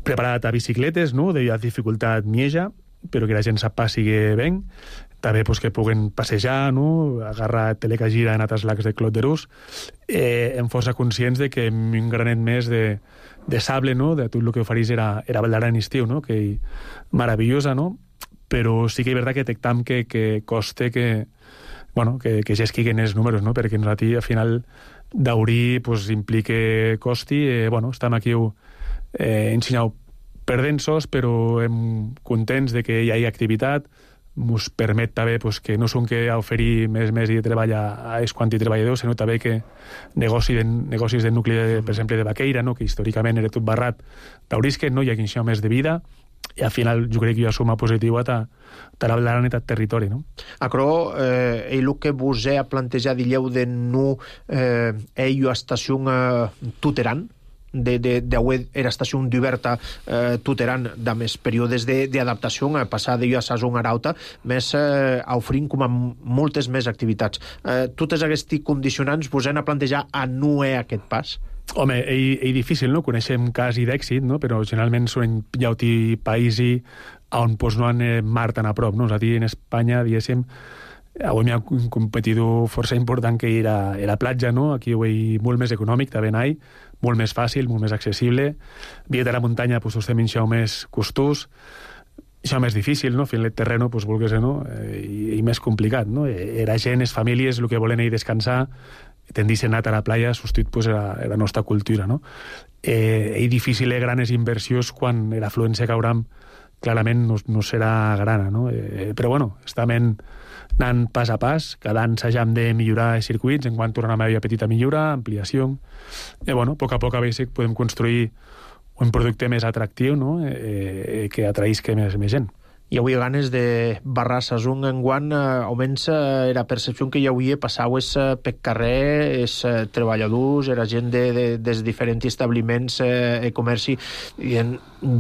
preparada a bicicletes, no? De dificultat mieja, però que la gent sap passi bé. També pues, que puguen passejar, no? Agarrar telecagira en altres lacs de Clot de Rus, en força conscients de que un granet més de sable, no? De tot el que oferís era Val d'Aran en estiu, no? Que meravellosa, no? Però sí que és veritat que detectam que coste que ja esquiguen els números, no? Perquè nosaltres, al final, daurir pues, implica costi. Estem aquí ensenyant perdensos, però contents de que hi hagi activitat. Ens permet també pues, que no són que oferir més de treball a els quanti treballadors, sinó també que negocis de nucli, per exemple, de vaqueira, no? Que històricament era tot barrat, daurisquen, no? Hi ha quinció més de vida, i al final jo crec que hi ha suma positiva a la Val d'Aran i al territori, no? Acro, el que vos he plantejat dilleu de no una estació tuteran, era estació d'oberta tuteran de més períodes d'adaptació, passar de saison arauta, més oferint com a moltes més activitats. Totes aquests condicionants vos han a plantejar a no aquest pas? Home, és difícil, no? Coneixem casos d'èxit, no? Però generalment són llauti païsi on pues, no han mar tan a prop, no? És a dir, en Espanya, diguéssim, avui hi ha un competidor força important que era la platja, no? Aquí ho és molt més econòmic, també n'hi molt més fàcil, molt més accessible. Via de la muntanya, pues, estem això més costós, això més difícil, no? Fent el terreno, pues, volgués, no? I més complicat, no? La gent, les famílies, el que volen és descansar, tendissin a anar a la playa, substitut pues, la nostra cultura, no? És difícil grans inversions quan l'afluència que hauram clarament no serà grana, no? Però bueno, estem anant pas a pas, cada any s'hagam de millorar els circuits, en quant tornem a haver petita millora, ampliació, i bueno, a poc a basic podem construir un producte més atractiu, no? Que atraïsca més gent. Hi havia ganes de barrar Sasung enguant, almenys era percepció que hi havia, passaues per carrer, els treballadors, era gent dels diferents establiments i comerci, i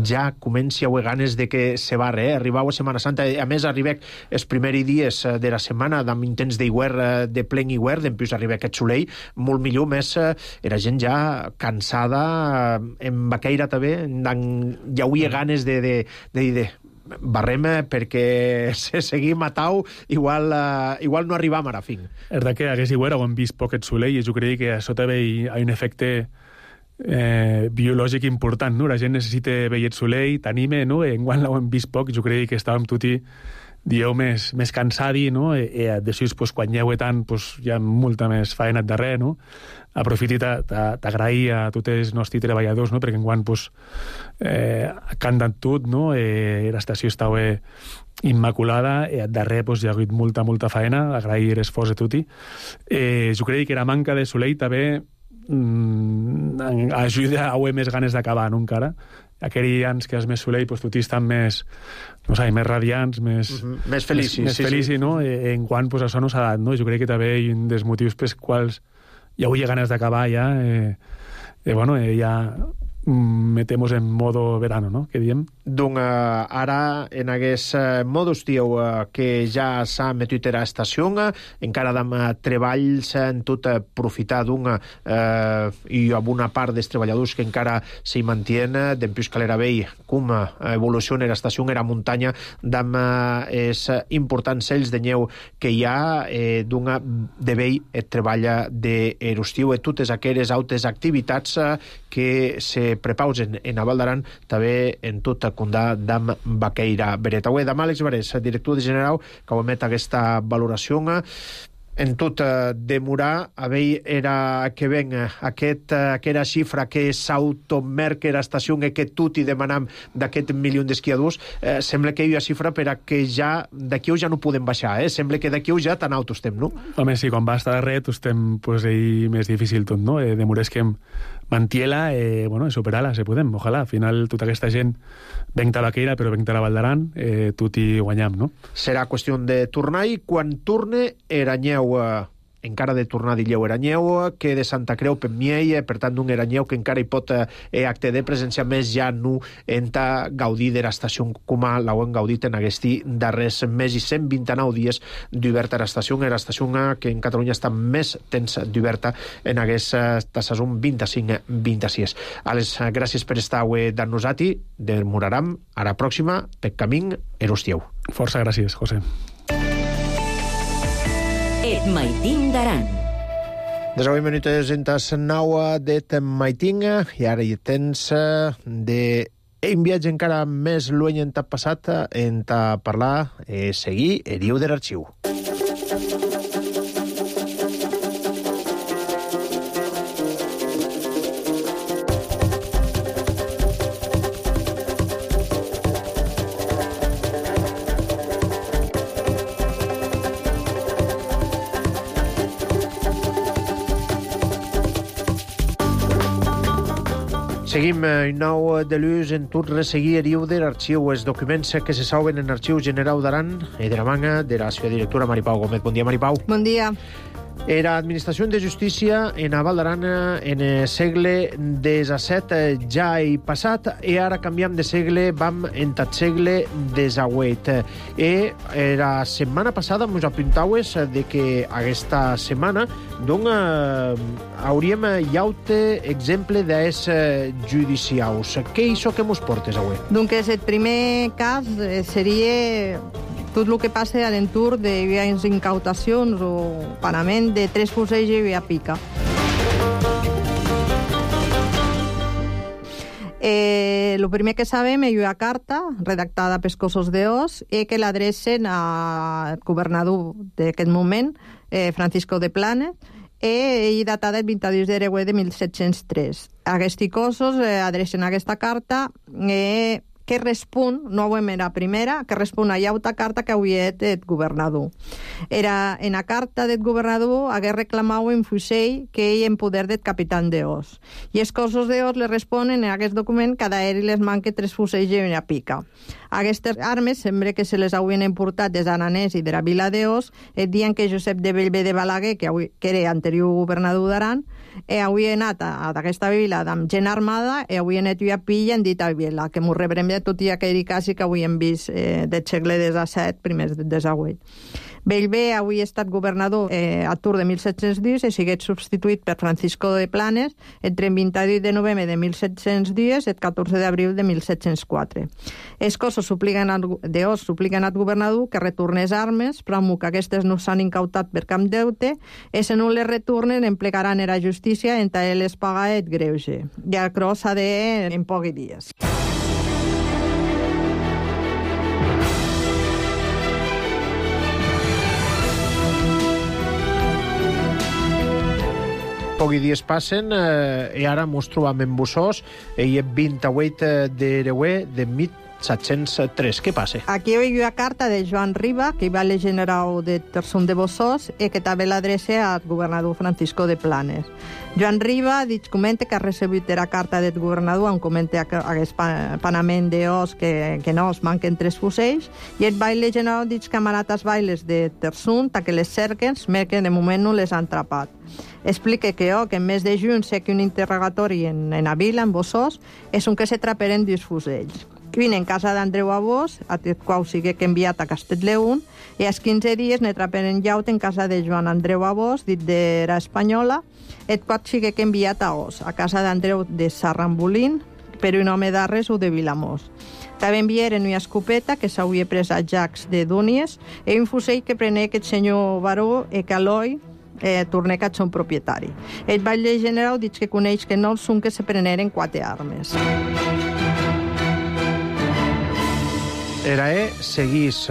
ja comença a haver ganes de que se barre, arribau a Setmana Santa, a més arribeu els primers dies de la setmana amb intents d'hivern, de plen hivern, després arriba aquest soleil, molt millor, més era gent ja cansada, en Baqueira també, hi havia ganes de dir barrem perquè si seguim a tau igual no arribam a la fin. És veritat que hagués igual hem vist poc et soleil i jo crec que això també hi ha un efecte biològic important, no? La gent necessita veure el soleil, t'anime, no? Enguany l'hem vist poc, jo crec que estàvem tots dieu més cansadi, no? I després, pues, quan hi ha tant, pues, hi ha molta més feina darrere, no? Aprofiti t'agrair a tots els nostres treballadors, no? Perquè enguany pues, canten tot, no? L'estació estava immaculada, i darrere pues, hi ha hagut molta feina, agrair l'esforç de tots. Jo crec que la manca de soleil també ajuda a haver més ganes d'acabar, no, encara. Aquells anys que és més soleil, pues, tots estan més, no sé, més radiants, més feliços. Més feliços, no? En quant pues, això no s'ha dat, no? Jo crec que també hi ha un dels motius pels quals hi hauria ganes d'acabar ja, bueno, ja metemos en modo verano, no? Què diem? Donc, ara, en aquest modus, dieu, que ja s'ha metut a l'estació, encara amb treballs en tot aprofitar i amb una part dels treballadors que encara s'hi mantien, d'empús Calera Vell, com evoluciona l'estació en la muntanya, amb els importants cells de neu que hi ha, de vell et treballa d'erostiu, i totes aquelles altres activitats que se prepausen en a Val d'Aran, també en tot el condà d'Am Baqueira Beret. Avui, demà, Àlex Barés, director general, que ho emet aquesta valoració, en tot demorar, era que ven aquella xifra que s'automerca l'estació que tot i demanam d'aquest milió d'esquiadors, sembla que hi ha xifra per a que ja d'aquí ja no podem baixar, sembla que d'aquí ja tan alto estem, no? Home, sí, quan va estar a ret estem pues, ahí més difícil tot, no? Demorés que mantiela, bueno, superar-la, si podem, ojalà. Al final, tota aquesta gent venc a Baqueira, però venc a la Val d'Aran, tot hi guanyam, no? Serà qüestió de tornar, i quan torne, Eranyeu, encara de tornar a Dilleu Eranyeu, que de Santa Creu Pemiei, per tant, d'un Eranyeu que encara hi pot acte de presència, més ja no enta gaudir de l'estació com l'heu gaudit en aquests darrers més i 129 dies d'oberta a l'estació, que en Catalunya està més temps d'oberta en aquesta saison 25-26. Àlex, gràcies per estar avui d'Arnosati, demoraram a la pròxima, per camí, Erostieu. Força gràcies, José. Et Maitin d'Aran. 19 minuts entes 9 d'Et Maitin, i ara hi tens un viatge encara més lluny en t'ha passat, en t'ha parlar, seguir el diu de l'arxiu. Seguim nou de l'ús en tot resseguir eriu de l'arxiu, els documents que se salven en l'Arxiu General d'Aran i de la manga de la seva directora Maripau Gómez. Bon dia, Maripau. Bon dia. Era Administració de Justícia en a Val d'Aran en el segle XVII ja he passat, i ara canviam de segle, vam en el segle XVIII. I la setmana passada ens apuntaues de que aquesta setmana hauríem llaute exemple d'es judicials. Què és això que mos portes avui? Donc, el primer cas seria tot el que passa a l'entorn de vies incautacions o pagament de 3 fusells i via pica. El primer que sabem és una carta redactada pels cossos d'Os i que l'adrecen al governador d'aquest moment, Francisco de Planes, i datada el 22 d'Ereguer de 1703. Aquests cossos adrecen aquesta carta que respon, no auem era primera, que respon a auta carta que avui et governador. Era en a carta del governador hagué reclamau en fusell que ell en poder del capitán d'Os. I els cossos d'Os le responen en aquest document que a d'aeri les manque 3 fusells i una pica. Aquestes armes sembla que se les haurien importat des d'Aranès i de la vila d'Os, et diuen que Josep de Bellver de Balaguer, que era anterior governador d'Aran, havia anat a aquesta vila amb gent armada i havia anat a pilla en dita vila, que m'ho rebrem de tot i aquell quasi que avui hem vist del segle XVII, primers del XVIII. Bellver avui ha estat governador a Tours de 1710 i siguet substituït per Francisco de Planes entre el 28 de novembre de 1710 i el 14 d'abril de 1704. Els cossos supliquen al governador que retornés armes, però que aquestes no s'han incautat per cap deute, i si no les retornen emplegaran la justícia en tal les paga et greuge. I això s'ha de en pocs dies. Pocs dies passen i ara mos trobam en Bossós i el 28 d'Ereuer de 1703. Què passa? Aquí hi ha una carta de Joan Riba, que va al general de Tersum de Bossós i que també l'adreça al governador Francisco de Planes. Joan Riba comenta que ha recebut la carta del governador on comenta aquest panament d'Os que no es manquen 3 fusells i el baile general diu que han anat als bailes de Tersum que les cerquen, que de moment no les han atrapat. Explica que en mes de juny sé que un interrogatori en la vila, en Bossós, és un que se traperen 2 fusells. Vine en casa d'Andreu Abós, a el qual sigui que enviat a Castellleun, i als 15 dies ne traperen llaut en casa de Joan Andreu Abós, dit d'era espanyola, el qual sigui que enviat a Os, a casa d'Andreu de Sarrambolín, per un home d'Arres o de Vilamós. També enviaren una escopeta que s'hauria pres a Jacques de Dúnies i un fusell que prenè aquest senyor baró i que Eloi tornè que són propietari. El batlle general diu que coneix que no són que se preneren 4 armes. Era seguís,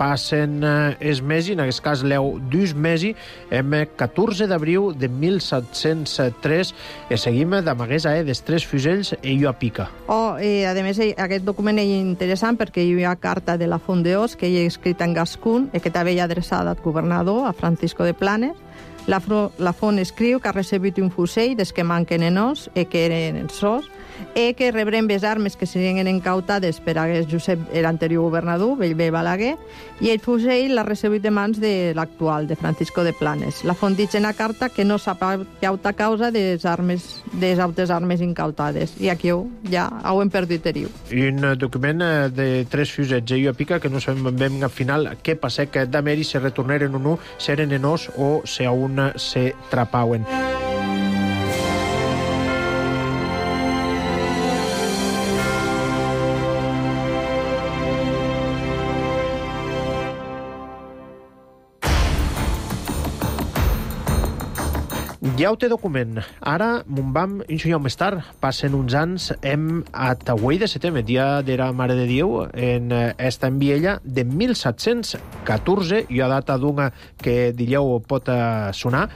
passen els mesos, en aquest cas l'eu 2 mesos, en 14 d'abril de 1703, i seguim d'amagués dels 3 fusells i a pica. A més, aquest document és interessant perquè hi ha carta de la Font d'Os que hi ha escrita en gascun i que també hi ha adreçada al governador, a Francisco de Planes. La Font escriu que ha recebut un fusell des que manquen en Os i que eren en sos, i que rebrem les armes que serien incautades per a Josep, l'anterior governador, Bellver Balaguer, i el fusell l'ha rebut de mans de l'actual, de Francisco de Planes. La Font diu en la carta que no s'ha pagat causa de les altres armes incautades, i aquí ja ho hem perdut eriu. I un document de 3 fusells i a pica que no sabem ben al final què passa, que d'ameri se retornaren o no, si eren en Os o si a una se trapauen. Ja ho té document. Ara, mon vam, un senyor més tard, passen uns anys, hem a Tauell de setembre, dia de la Mare de Déu, en esta enviella de 1714, i a data d'una que dieu pot sonar,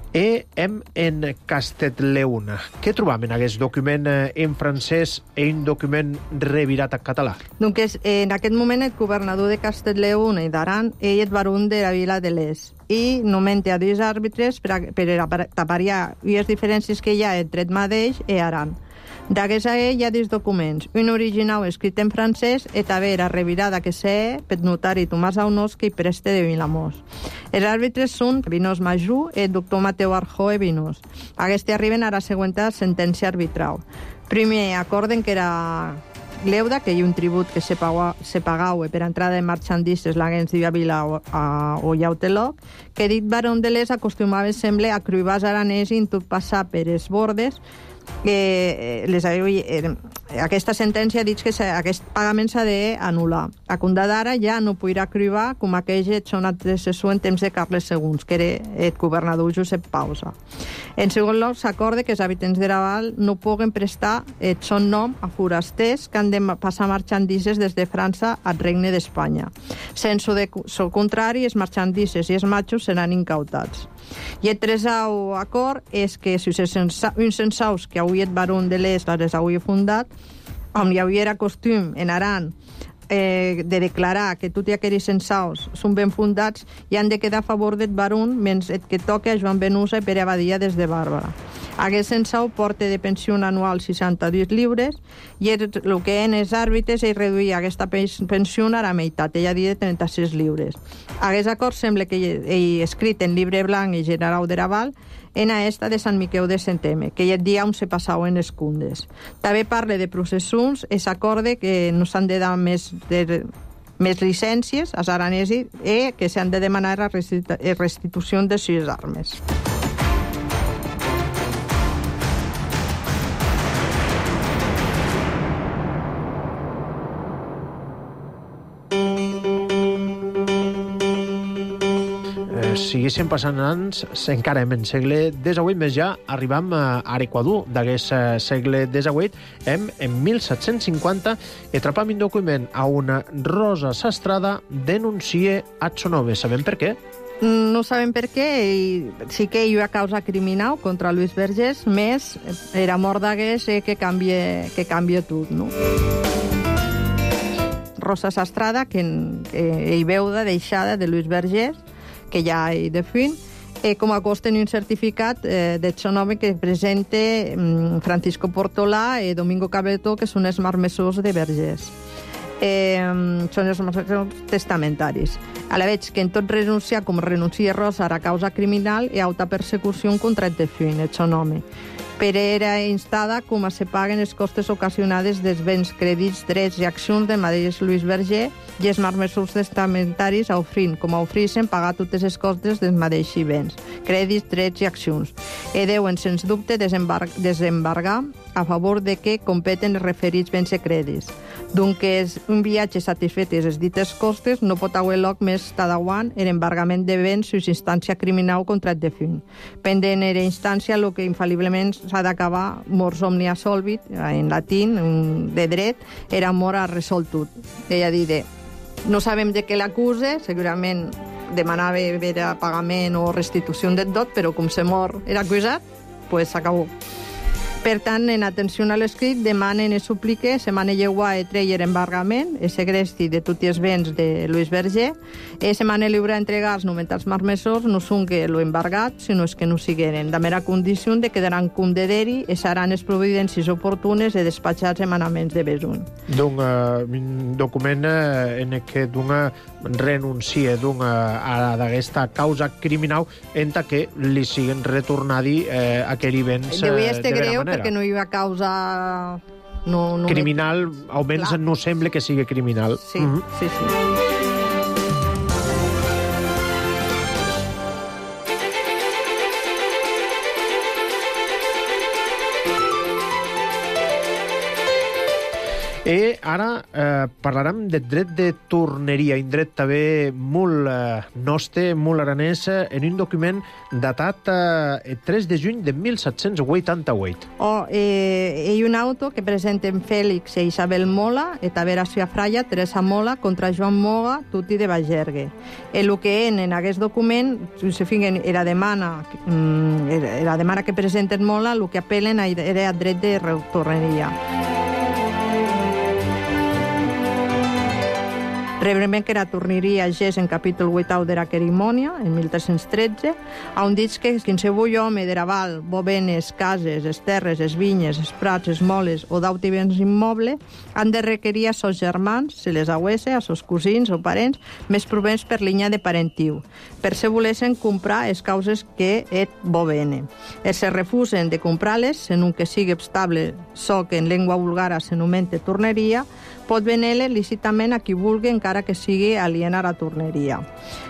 i hem en Castellleun. Què trobam en aquest document en francès i un document revirat a català? Donc, en aquest moment, el governador de Castellleun i d'Aran és el baró de la vila de Les i nomenta 2 àrbitres per tapariar les diferències que hi ha entre el mateix i Aran. D'aquesta hi ha 2 documents, un original escrit en francès i també la revirada que sé per notari Tomàs Aunós que hi preste de Vilamós. Els àrbitres són Vinós Majú i el doctor Mateu Arjó i Vinós. Aquests arriben a la següent sentència arbitral. Primer, acorden que era Gleuda, que hi ha un tribut que se pagau per entrada de marxandistes l'Agens de Vila o Llauteloc, que dit barón de Les acostumava sempre a cruïbars aranès i tot passar per els bordes. Aquesta sentència diu que aquest pagament s'ha d'anul·lar. A compte d'ara ja no podrà cruïbar com aquells són antecessors en temps de Carles II, que era el governador Josep Pausa. En segon lloc, s'acorda que els habitants de Raval no puguen prestar el son nom a forasters que han de passar marxandises des de França al Regne d'Espanya. Sense el contrari, els marxandises i els matxos seran incautats. I el tercer acord és que si uns censaus que avui el baró de Les les hauria fundat on hi havia costum en Aran de declarar que tots aquells censaus són ben fundats i han de quedar a favor del barun menys el que toca a Joan Benusa i Pere Abadia des de Bàrbara. Aquest censau porta de pensió anual 62 lliures i el que en els àrbitres és reduir aquesta pensió a la meitat, ella dit de 36 lliures. Aquest acord sembla que ell escrit en llibre blanc i general de Raval en esta de Sant Miquel de Centeme, que el dia on se passaven les cundes. També parla de processons, es acorde que no s'han de dar més llicències als aranesos i que s'han de demanar la restitució de 6 armes. Siguéssim passant anys, encara en segle XVIII, més ja arribam a l'Equador d'aquest segle XVIII, en 1750, i trapam un document a una Rosa Sastrada denuncia a Txonove. Sabem per què? No sabem per què, i sí que hi ha causa criminal contra Luis Vergés, més era mort d'hagués que canvia tot, no? Rosa Sastrada, que hi veu de deixada de Luis Vergés, que ja hi defunt, com a cos tenir un certificat de Txonove que presenta Francisco Portolà i Domingo Cabretó, que són els marmessors de Vergés. Són els marmessors testamentaris. A la veig que en tot renunciar, com renuncia Rosa a la causa criminal, hi ha alta persecució contra el defunt, el Txonove. Però era instada com a se paguen els costes ocasionades dels béns, crèdits, drets i accions de mateix Luis Verger i els marmessors testamentaris com a ofreixen pagar totes les costes dels mateixos béns, crèdits, drets i accions. I deuen, sens dubte, desembargar a favor de que competen els referits béns i crèdits. Doncs un viatge satisfet les dites costes no pot haver lloc més tardauant l'embargament de béns sus instància criminal contra el defunt. Pendent era instància el que infal·liblement s'ha d'acabar mors omnia solvit, en latín, de dret, era mort a resoltut. Ella dit, no sabem de què l'acuse, segurament demanava veure pagament o restitució del dot, però com se mor era acusat, pues s'acabó. Per tant, en atenció a l'escrit, demanen i suplique se manelleuar i treure embargament, el segresti de tots els béns de Luis Verger, i se manelleuar a entregar els nomentats marmessors no són que lo embargat, sinó que no sigueren. De mera condició de quedaran cum de deri i seran les providències oportunes de despatxar els emanaments de besun. Un document en què renuncia a aquesta causa criminal en que li siguen retornadi aquells béns de vera manera. Perquè no hi ha causa criminal, almenys no sembla que sigui criminal. Sí, sí. I ara parlarem de dret de torneria, un dret també molt nostre, molt aranès, en un document datat el 3 de juny de 1788. Hi ha un auto que presenten Fèlix i Isabel Mola, i també la seva fraya, Teresa Mola, contra Joan Moga, tutti de Bagergue. El que en aquest document, si finguen, la demana que presenten Mola, el que apel·len era dret de torneria. Brevement que la torneria és en capítol 8 de la Querimònia, en 1313, on dic que qualsevol home de Raval, bovenes, cases, les terres, les vinyes, els prats, les moles o d'autres béns immobles han de requerir a sos germans, se les auesse, a sos cosins o parents, més provents per línia de parentiu, per se volessin comprar les causes que et bovene. Els se refusen de comprar-les, en un que sigui estable, so que en llengua vulgara s'anomenta torneria, pot venir-les lícitament a qui vulgui, encara que sigui aliena a la torneria.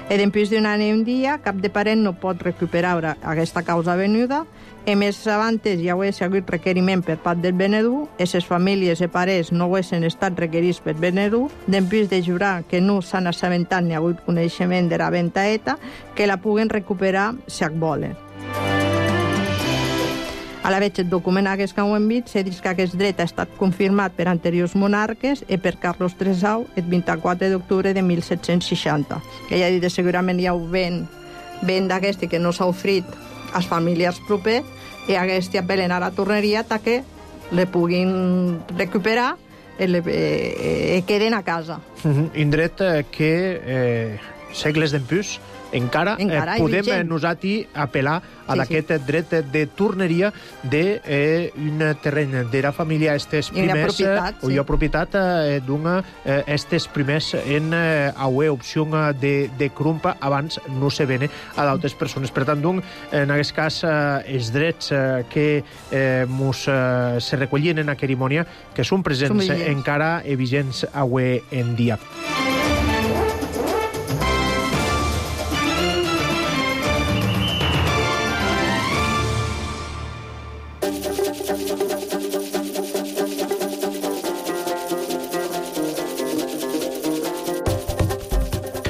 I després d'un any i un dia, cap de parent no pot recuperar aquesta causa venuda, i més abans hi hauria hagut requeriment per part del venedor, i les famílies i parents no haguessin estat requerits per venedor, després de jurar que no s'han assabentat ni ha hagut coneixement de la venta eta, que la puguen recuperar si volen. A la veig el document aquest que ho hem vist, se diu que aquest dret ha estat confirmat per anteriors monarques i per Carlos III el 24 d'octubre de 1760. Ella ha dit que segurament hi ha un ben d'aquest que no s'ha ofrit a les famílies properes i aquest apel·len a la torneria que le puguin recuperar queden a casa. Indret que segles d'empús encara podem nosaltres apel·lar a d'aquest dret de torneria d'un terreny de la família estes primers o jo propietat d'una estes primers en auer opció de crumpa abans no se vene a d'altres persones. Per tant, en aquest cas, els drets que se recollien en la cerimònia que són presents encara vigents avui en dia.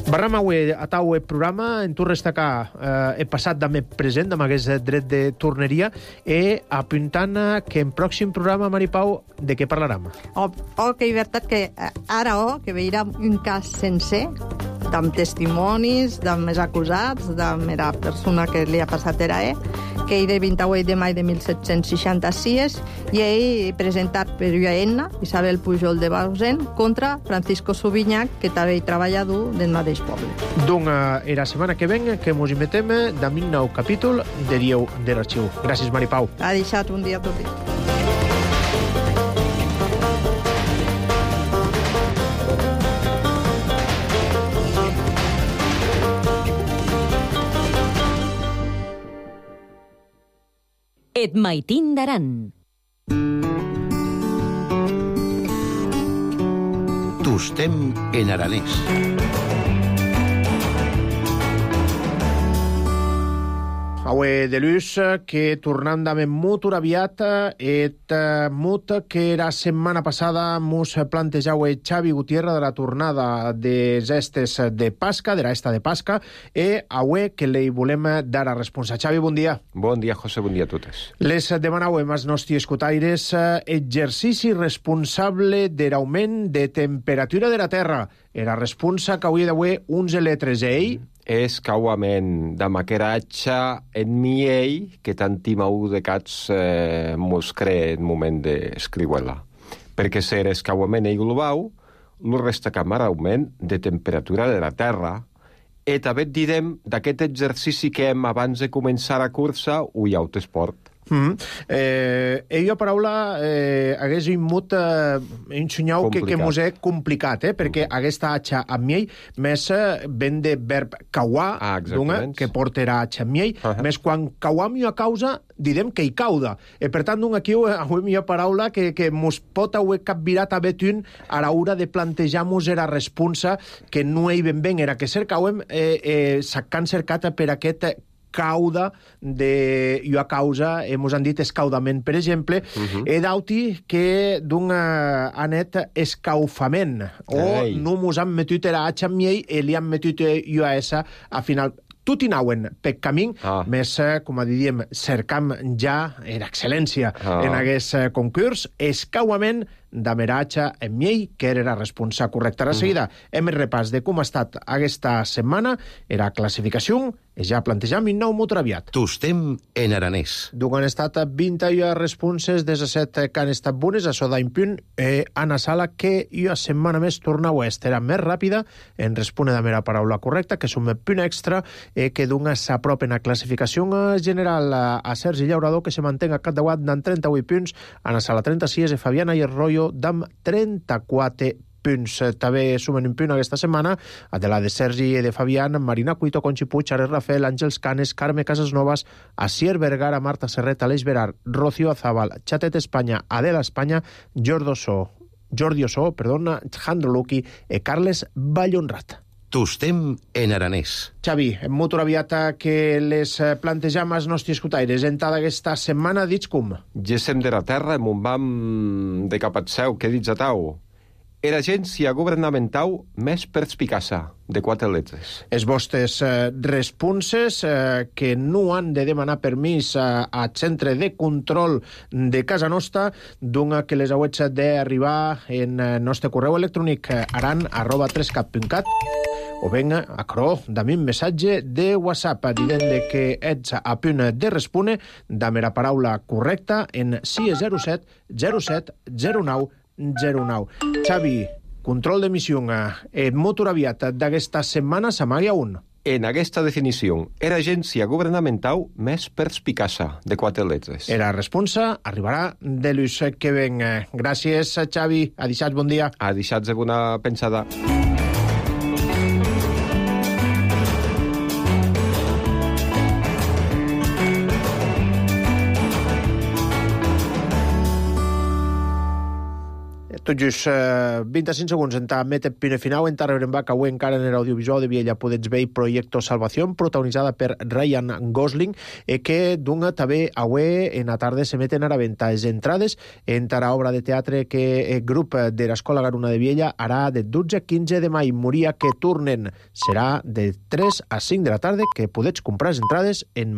Barram avui a tau el programa, en tu destacar el passat també present amb aquest dret de torneria i apuntant que en pròxim programa, Mari Pau, de què parlarem? Que és veritat que ara que veurem un cas sencer, amb testimonis, amb els acusats, amb la persona que li ha passat era que és de 28 de maig de 1766 i ell presentat per Enna, Isabel Pujol de Bausen, contra Francisco Subinyac, que també treballa del mateix poble. Donc, la setmana que ven que mos invetem d'un nou capítol de Dieu de l'Arxiu. Gràcies, Mari Pau. Ha deixat un dia tot dit. Et maitin d'Aran. Tostem en aranès. Avui de l'ús que tornant amb molt aviat et molt que la setmana passada mos plantejau Xavi Gutiérrez de la tornada des estes de Pasca, de l'esta de Pasca, i avui que li volem dar a responsa. Xavi, bon dia. Bon dia, José, bon dia a totes. Les demanau als nostres escotaires exercici responsable de l'augment de temperatura de la Terra. Era responsa que avui d'avui uns letres ell és cauament de maqueratge en miei que tantimau de cats mos cree en moment d'escriuela. Perquè ser escauament ei globau, lo resta camar augment de temperatura de la Terra. I també et direm d'aquest exercici que hem abans de començar la cursa o hi ha autoesport. Jo paraula hagués molt ensenyau que mos és complicat, perquè aquesta atxa amb miei més ven de verb cauar, que portarà atxa amb miei, més quan cauam jo a causa, direm que hi cauda. Per tant, aquí avui mi paraula que mos pot haver capvirat a betun a l'hora de plantejar-nos la responsa que no hi ben era que cercauem s'han cercat per aquest cauda de jo a causa, mos han dit escaudament, per exemple, d'auti que d'un anet escaufament, o no mos han metut era atxa amb miei i li han metut jo a esa a final. Tot i nauen per camí, més, com diríem, cercam ja l'excel·lència en aquest concurs, escauament d'ameratge en miei, que era la responsa correcta. A seguida, hem el repàs de com ha estat aquesta setmana, era classificació, i ja plantejam un nou molt aviat. Tostem en aranès. Donc han estat 20 responses, 17 que han estat bones, això d'un punt, Anna Sala, que jo setmana més tornau a estar més ràpida en respondre de la paraula correcta, que és un punt extra, que d'una s'apropen a classificació general a Sergi Llaurador, que se mantenga a capdavant d'en 38 punts, Anna Sala 36, i Fabiana i Arroyo d'am 34 punts. També sumen un punt aquesta setmana a de la de Sergi i de Fabián, Marina Cuito, Conchi Puig, Ares Rafael, Àngels Canes, Carme Casasnovas, Asier Vergara, Marta Serret, Aleix Verar, Rocío Azabal, Chatet Espanya, Adela Espanya, Jordi Ossó, Jandro Luqui i Carles Vallhonrat. Tostem en aranès. Xavi, molt aviat que les plantejam als nostres escotaires en tota aquesta setmana, dits com? Gessem de la Terra, mon vam de cap at seu, què dits a tau? Era agència governamental més perspicassa, de 4 letres. Els vostres responses que no han de demanar permís al centre de control de casa nostra, doncs que les hauets d'arribar en nostre correu electrònic aran@3cat.cat o venga a cro d'ami un missatge de WhatsApp dient que ets a punt de respondre amb la paraula correcta en 607 07 09 09. Xavi, control d'emissió en motor aviat d'aquesta setmana s'amaga un. En aquesta definició, era agència governamental més perspicaça, de 4 lletres. Era responsa, arribarà de l'ús que ven. Gràcies, Xavi. Adixats, bon dia. Adixats de bona pensada. Tot just 25 segons en Mete Pinefinau, en rebrem que avui encara en l'audiovisual de Viella podets veure Proyecto Salvación, protagonitzada per Ryan Gosling, que dunga també avui en la tarda se meten a la venta les entrades en la obra de teatre que el grup de l'Escola Garuna de Viella harà de 12 a 15 de maig. Moria que tornen serà de 3 a 5 de la tarda, que podets comprar les entrades en Madrid.